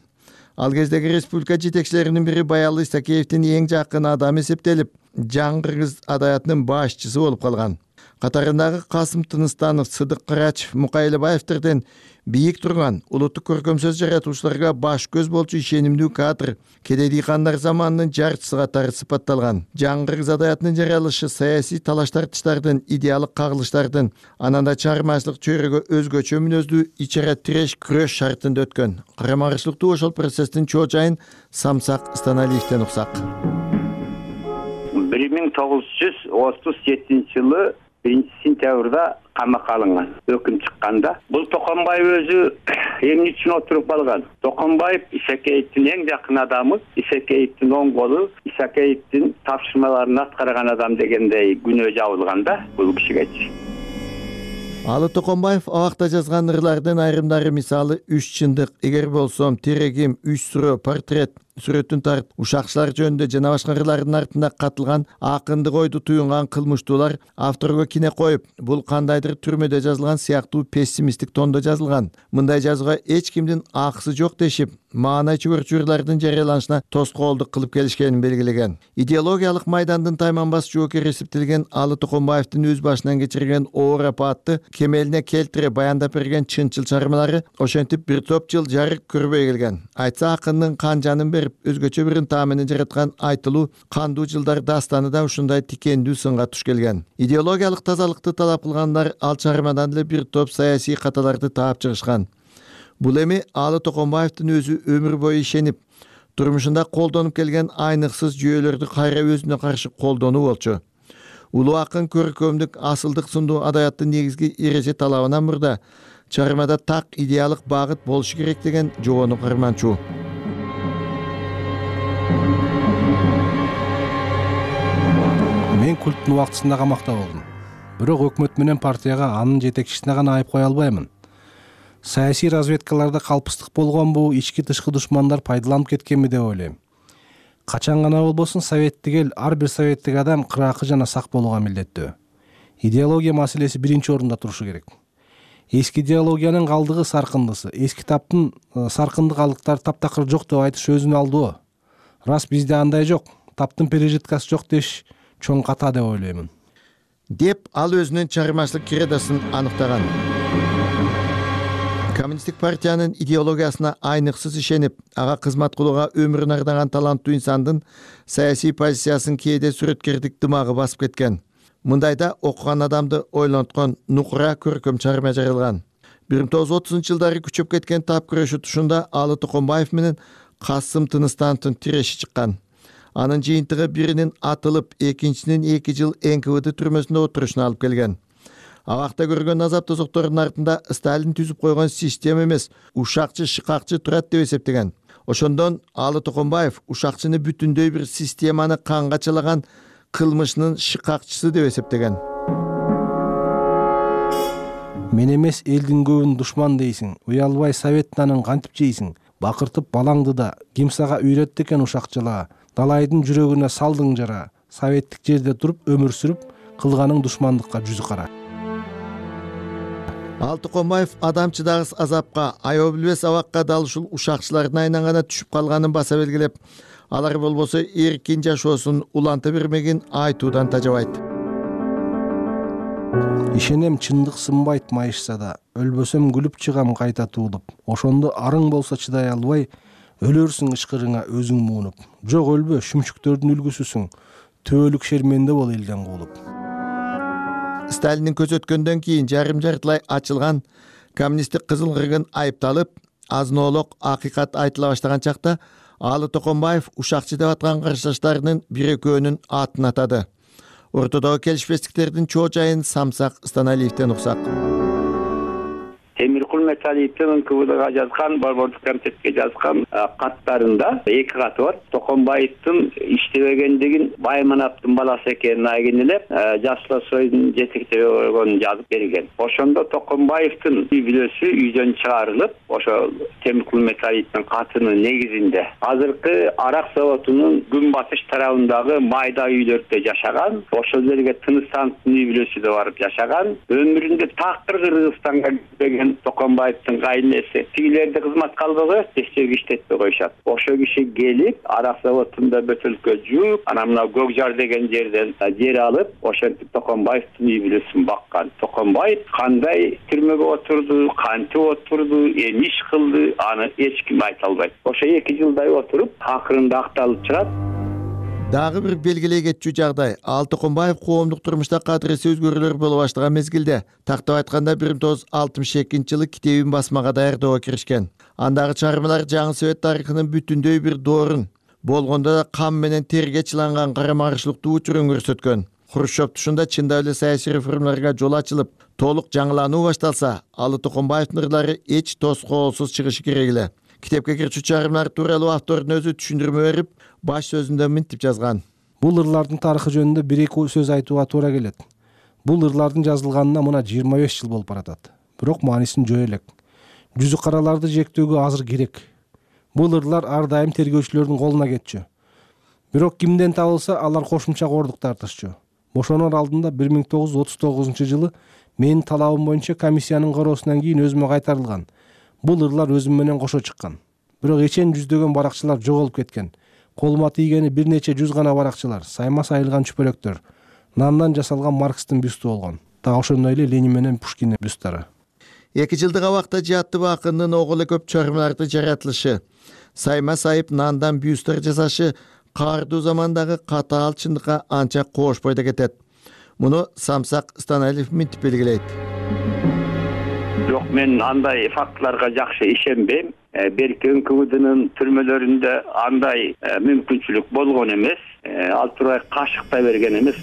Ал кездеги республика жетекчилеринин бири Баял Исакеевдин эң жакын адамы эсептелип, жаңы кыргыз адаятынын башчысы болуп калган. Катарындагы Касым Тыныстанов, Сыдык Кырачев, Мукай Элебаевдерден бийик турган улуттук көркөм сөз жаратуучуларга баш көз болчу ишенимдүү кадр, кедейди хандар заманынын жарчысы катары сыпатталган. Жаңы кыргыз адаятынын жаралышы саясий талаш-тартыштардын, идеалдык кагылыштардын, ананда чыгармачылык чөйрөгө өзгөчө мүнөздүү ичара тиреш күрөш шартында өткөн. Карама-каршылыктуу ошол процесстин чоо-жайын Самсак Ыстаналиевден уксак. бир миң тогуз жүз отуз жетинчи жылы биринчи сентябрда камакка алынган, өкүм чыкканда. Бул Токонбаев өзү эмне үчүн отуруп алган? Токонбаев Исакеевдин эң жакын адамы, Исакеевдин оң колу, Исакеевдин тапшырмаларын аткарган адам дегендей күнөө жабылган да бул кишиге. Алы Токонбаев абакта жазган ырлардын айрымдары мисалы үч чындык, эгер болсом, терегим, үч суроо, портрет, сүрөтүн тарт, ушакчылар жөнүндө жана башка ырлардын артында катылган акындык ойду туюнган кылмыштуулар авторго кине коюп, бул кандайдыр түрмөдө жазылган сыяктуу пессимисттик тондо жазылган. Мындай жазууга эч кимдин акысы жок дешип, маанай чөгөрчү ырлардын жарыяланышына тоскоолдук кылып келишкенин белгилеген. Идеологиялык майдандын тайманбас жоокери эсептелген Алы Токонбаевдин өз башынан кечирген оор апаатты кемелине келтире баяндап берген чынчыл чыгармалары ошентип бир топ жыл жарык көрбөй келген. Айтса акындын кан жанын берип, өзгөчө бир ынтаа менен жараткан айтылуу кандуу жылдар дастаны да ушундай тикендүү сынга туш келген. Идеологиялык тазалыкты талап кылгандар ал чыгармадан эле бир топ саясий каталарды таап чыгышкан. Бул эми Алы Токонбаевдин өзү өмүр бою ишенип, турмушунда колдонуп келген айныксыз жүйөлөрдү кайра өзүнө каршы колдонуу болчу. Улуу акын көркөмдүк асылдык сындуу адаяттын негизги эреже талабынан мурда чыгармада так идеалдык багыт болушу керек деген жобону карманчу. мен культтун убактысында камакта болдум. Бирок өкмөт менен партияга анын жетекчисине гана айып кое албаймын. Саясий разведкаларда калпыстык болгонбу, ички тышкы душмандар пайдаланып кеткенби деп ойлойм. Качан гана болбосун советтик эл, ар бир советтик адам кыраакы жана сак болууга милдеттүү. Идеология маселеси биринчи орунда турушу керек. Эски идеологиянын калдыгы саркындысы, эски таптын саркынды калдыктары таптакыр жок деп айтыш өзүнө алдоо. Рас бизде андай жок, таптын пережиткасы жок деш чоң ката деп ойлоймун. Деп ал өзүнүн чыгармачылык кредосун аныктаган. Коммунисттик партиянын идеологиясына айныксыз ишенип, ага кызмат кылууга өмүрүн ардаган таланттуу инсандын саясий позициясын кээде сүрөткердик дымагы басып кеткен. Мындайда окуган адамды ойлонткон нукура көркөм чыгарма жарыялган. бир миң тогуз жүз отузунчу жылдары күчөп кеткен тап күрөшүү тушунда Алы Токонбаев менен Касым Тыныстановдун тиреши чыккан. Анын жыйынтыгы биринин атылып, экинчисинин эки жыл эн ка вэ дэ түрмөсүндө отурушуна алып келген. Абакта көргөн азап тозоктордун артында Сталин түзүп койгон система эмес, ушакчы, шыкакчы турат деп эсептеген. Ошондон Алы Токонбаев ушакчыны бүтүндөй бир системаны канга чалаган кылмышынын шыкакчысы деп эсептеген. Мен эмес элдин көбүн душман дейсиң, уялбай совет нанын кантип жейсиң, бакыртып балаңды да ким сага үйрөттү экен ушакчылаа, далайдын жүрөгүнө салдың жара, советтик жерде туруп өмүр сүрүп, кылганың душмандыкка жүзү кара. Алы Токонбаев адам чыдагыс азапка, аябы билбес абакка дал ушул ушакчылардын айнангана түшүп калганын баса белгилеп, алар болбосо эркин жашоосун уланта бермегин айтуудан тажабайт. Ишенем чындык сынбайт майышса да, өлбөсөм күлүп чыгам кайта туулуп. Ошондо арың болсо чыдай албай, өлөрсүң ышкырыңа өзүң муунуп. Жок өлбө, шүмчүктөрдүн үлгүсүсүң, төөлүк шерменде бол элден куулуп. Сталиндин көзөткөндөн кийин жарым жартылай ачылган коммунисттик кызыл кыргын айыпталып, азын-оолок акыйкат айтыла баштаган чакта Алы Токонбаев ушакчы деп аткан каршылаштарынын бир экөөнүн атын атады. Ортодогу келишпестиктердин чоо жайын Самсак Станалиевден уксак. Темиркул Металиевдин эн ка вэ дэга жазган, борбордук комитетке жазган каттарында эки каты бар. Токонбаевдин иштебегендигин Байманаптын баласы экенин айгин элеп, Жаслосойдун жетектеги болгонун жазып берген. Ошондо Токонбаевдин үй бүлөсү үйдөн чыгарылып, ошо Темиркул Металиевдин катынын негизинде азыркы арак заводунун күнбатыш тарабындагы майда үйлөрдө жашаган, ошол жерге Тыныстановдун үй бүлөсү да барып жашаган, өмүрүндө такыр Кыргызстанга келген Токонбаевдин кайнеси тигилерди кызматка албай коет, текшерүү иштетпей коюшат. Ошол киши келип, арак заводунда бөтөлкө жууп, анан мына Көкжар деген жерден жер алып, ошентип Токонбаевдин үй бүлөсүн баккан. Токонбаев кандай түрмөгө отурду, кантип отурду, эмне иш кылды, аны эч ким айта албайт. Ошо эки жылдай отуруп, акырында акталып чыгат. Дагы бир белгилей кетчү жагдай, Алы Токонбаев коомдук турмушта кадыресе өзгөрүүлөр боло баштаган мезгилде, тактап айтканда бир миң тогуз жүз алтымыш экинчи жылы китебин басмага даярдоого киришкен. Андагы чыгармалар жаңы совет тарыхынын бүтүндөй бир доорун, болгондо да кам менен терге чыланган карама-каршылыктуу учурун көрсөткөн. Хрущев тушунда чындап эле саясий реформаларга жол ачылып, толук жаңылануу башталса, Алы Токонбаевдин ырлары эч тоскоолсуз чыгышы керек эле. Китепке кирчү чыгармалар тууралуу автордун өзү түшүндүрмө берип, баш сөзүндө мынтип жазган. Бул ырлардын тарыхы жөнүндө бир эки сөз айтууга туура келет. Бул ырлардын жазылганына мына жыйырма беш жыл болуп баратат. Бирок маанисин жөө элек. Жүзү караларды жектөөгө азыр керек. Бул ырлар ар дайым тергөөчүлөрдүн колуна кетчү. Бирок кимден табылса, алар кошумча кордук тартышчу. Бошонор алдында бир миң тогуз жүз отуз тогузунчу жылы менин талабым боюнча комиссиянын кароосунан кийин өзүмө кайтарылган. Бул ырлар өзүм менен кошо чыккан. Бирок эчен жүздөгөн баракчылар жоголуп кеткен. Колума тийгени бир нече жүз гана баракчылар, сайма сайылган чүпөлөктөр, нандан жасалган Маркстын бюсту болгон. Дагы ошондой эле Ленин менен Пушкиндин бюсттары. Эки жылдык абакта Жааттыб акындын огулу көп чыгармаларды жаратылышы, сайма сайып нандан бюсттар жасашы каардуу замандагы катаал чындыкка анча коошпой да кетет. Муну Самсак Станалиев мынтип белгилейт. Жок, мен андай фактыларга жакшы ишенбейм. Берки эн ка вэ дэнин түрмөлөрүндө андай мүмкүнчүлүк болгон эмес. Ал турбай кашыктай берген эмес.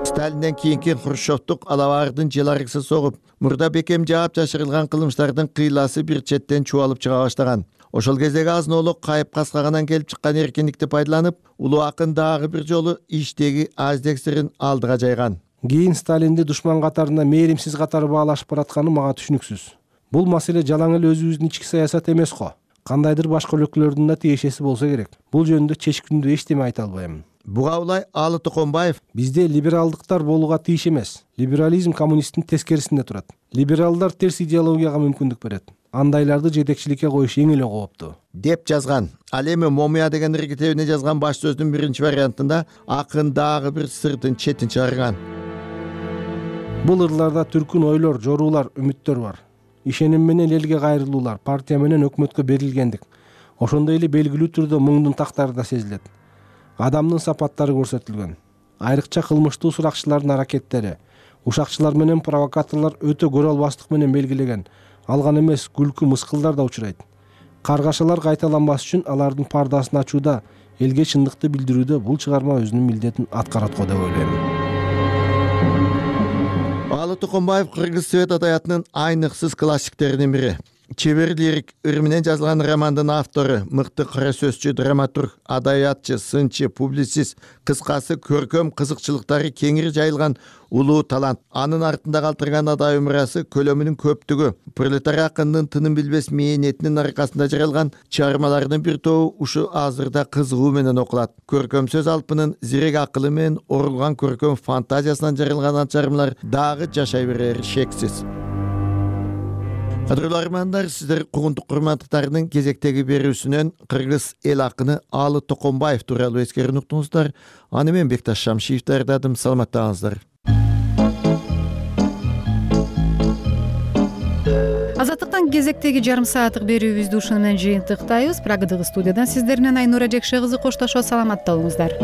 Сталинден кийинки Хрущевдук алабардын желаргысы согуп, мурда бекем жаап жашырылган кылмыштардын кыйласы бир четтен чубалып чыга баштаган. ошол кездеги азынолук кайып каскаганан келип чыккан эркиндикти пайдаланып, улуу акын дагы бир жолу иштеги аздек сырын алдыга жайган. Кийин Сталинди душман катарына мээримсиз катары баалашып баратканы мага түшүнүксүз. Бул маселе жалаң эле өзүбүздүн ички саясат эмес го. Кандайдыр башка өлкөлөрдүн да тиешеси болсо керек. Бул жөнүндө чечкиндүү эчтеме айта албайм. Буга улай Алы Токонбаев: бизде либералдыктар болууга тийиш эмес. Либерализм коммунисттин тескерисинде турат. Либералдар терс идеологияга мүмкүндүк берет. Андайларды жетекчиликке коюш эң эле кооптуу деп жазган. Ал эми Момия деген китебине жазган баш сөздүн биринчи вариантында акын дагы бир сырдын четин чыгарган. Бул ырларда түркүн ойлор, жоруулар, үмүттөр бар. Ишеним менен элге кайрылуулар, партия менен өкмөткө берилгендик. Ошондой эле белгилүү түрдө муңдун тактары да сезилет. Адамдын сапаттары көрсөтүлгөн. Айрыкча кылмыштуу суракчылардын аракеттери, ушакчылар менен провокаторлор өтө көрө албастык менен белгилеген. Алган эмес, күлкү, мыскылдар да учурайт. Каргашалар кайталанбас үчүн алардын пардасын ачууда, элге чындыкты билдирүүдө бул чыгарма өзүнүн милдетин аткарат го деп ойлойм. Алы Токонбаев кыргыз свет адабиятынын айныксыз классиктеринин бири. Чебер лирик ыр менен жазылган романдын автору, мыкты кара сөзчү, драматург, адабиятчы, сынчы, публицист, кыскасы көркөм кызыкчылыктары кеңири жайылган улуу талант. Анын артында калтырган адабий мурасы көлөмүнүн көптүгү, пролетарий акындын тынын билбес мээнетинин аркасында жаралган чыгармаларынын бир тобу ушу азырда кызыгуу менен окулат. Көркөм сөз алпынын зирек акылы менен орулган көркөм фантазиясынан жаралган чыгармалар дагы жашай берери шексиз. Кадырлуу армандар, сиздер кугунтук курматтарынын кезектеги берүүсүнөн кыргыз эл акыны Алы Токонбаев тууралуу эскерүүнү уктуңуздар. Аны мен Бекташ Шамшиев даярдадым. Саламаттаңыздар. Азаттыктан кезектеги жарым сааттык берүүбүздү ушуну менен жыйынтыктайбыз. Прагадагы студиядан сиздер менен Айнура Жекше кызы коштошот. Саламатта болуңуздар.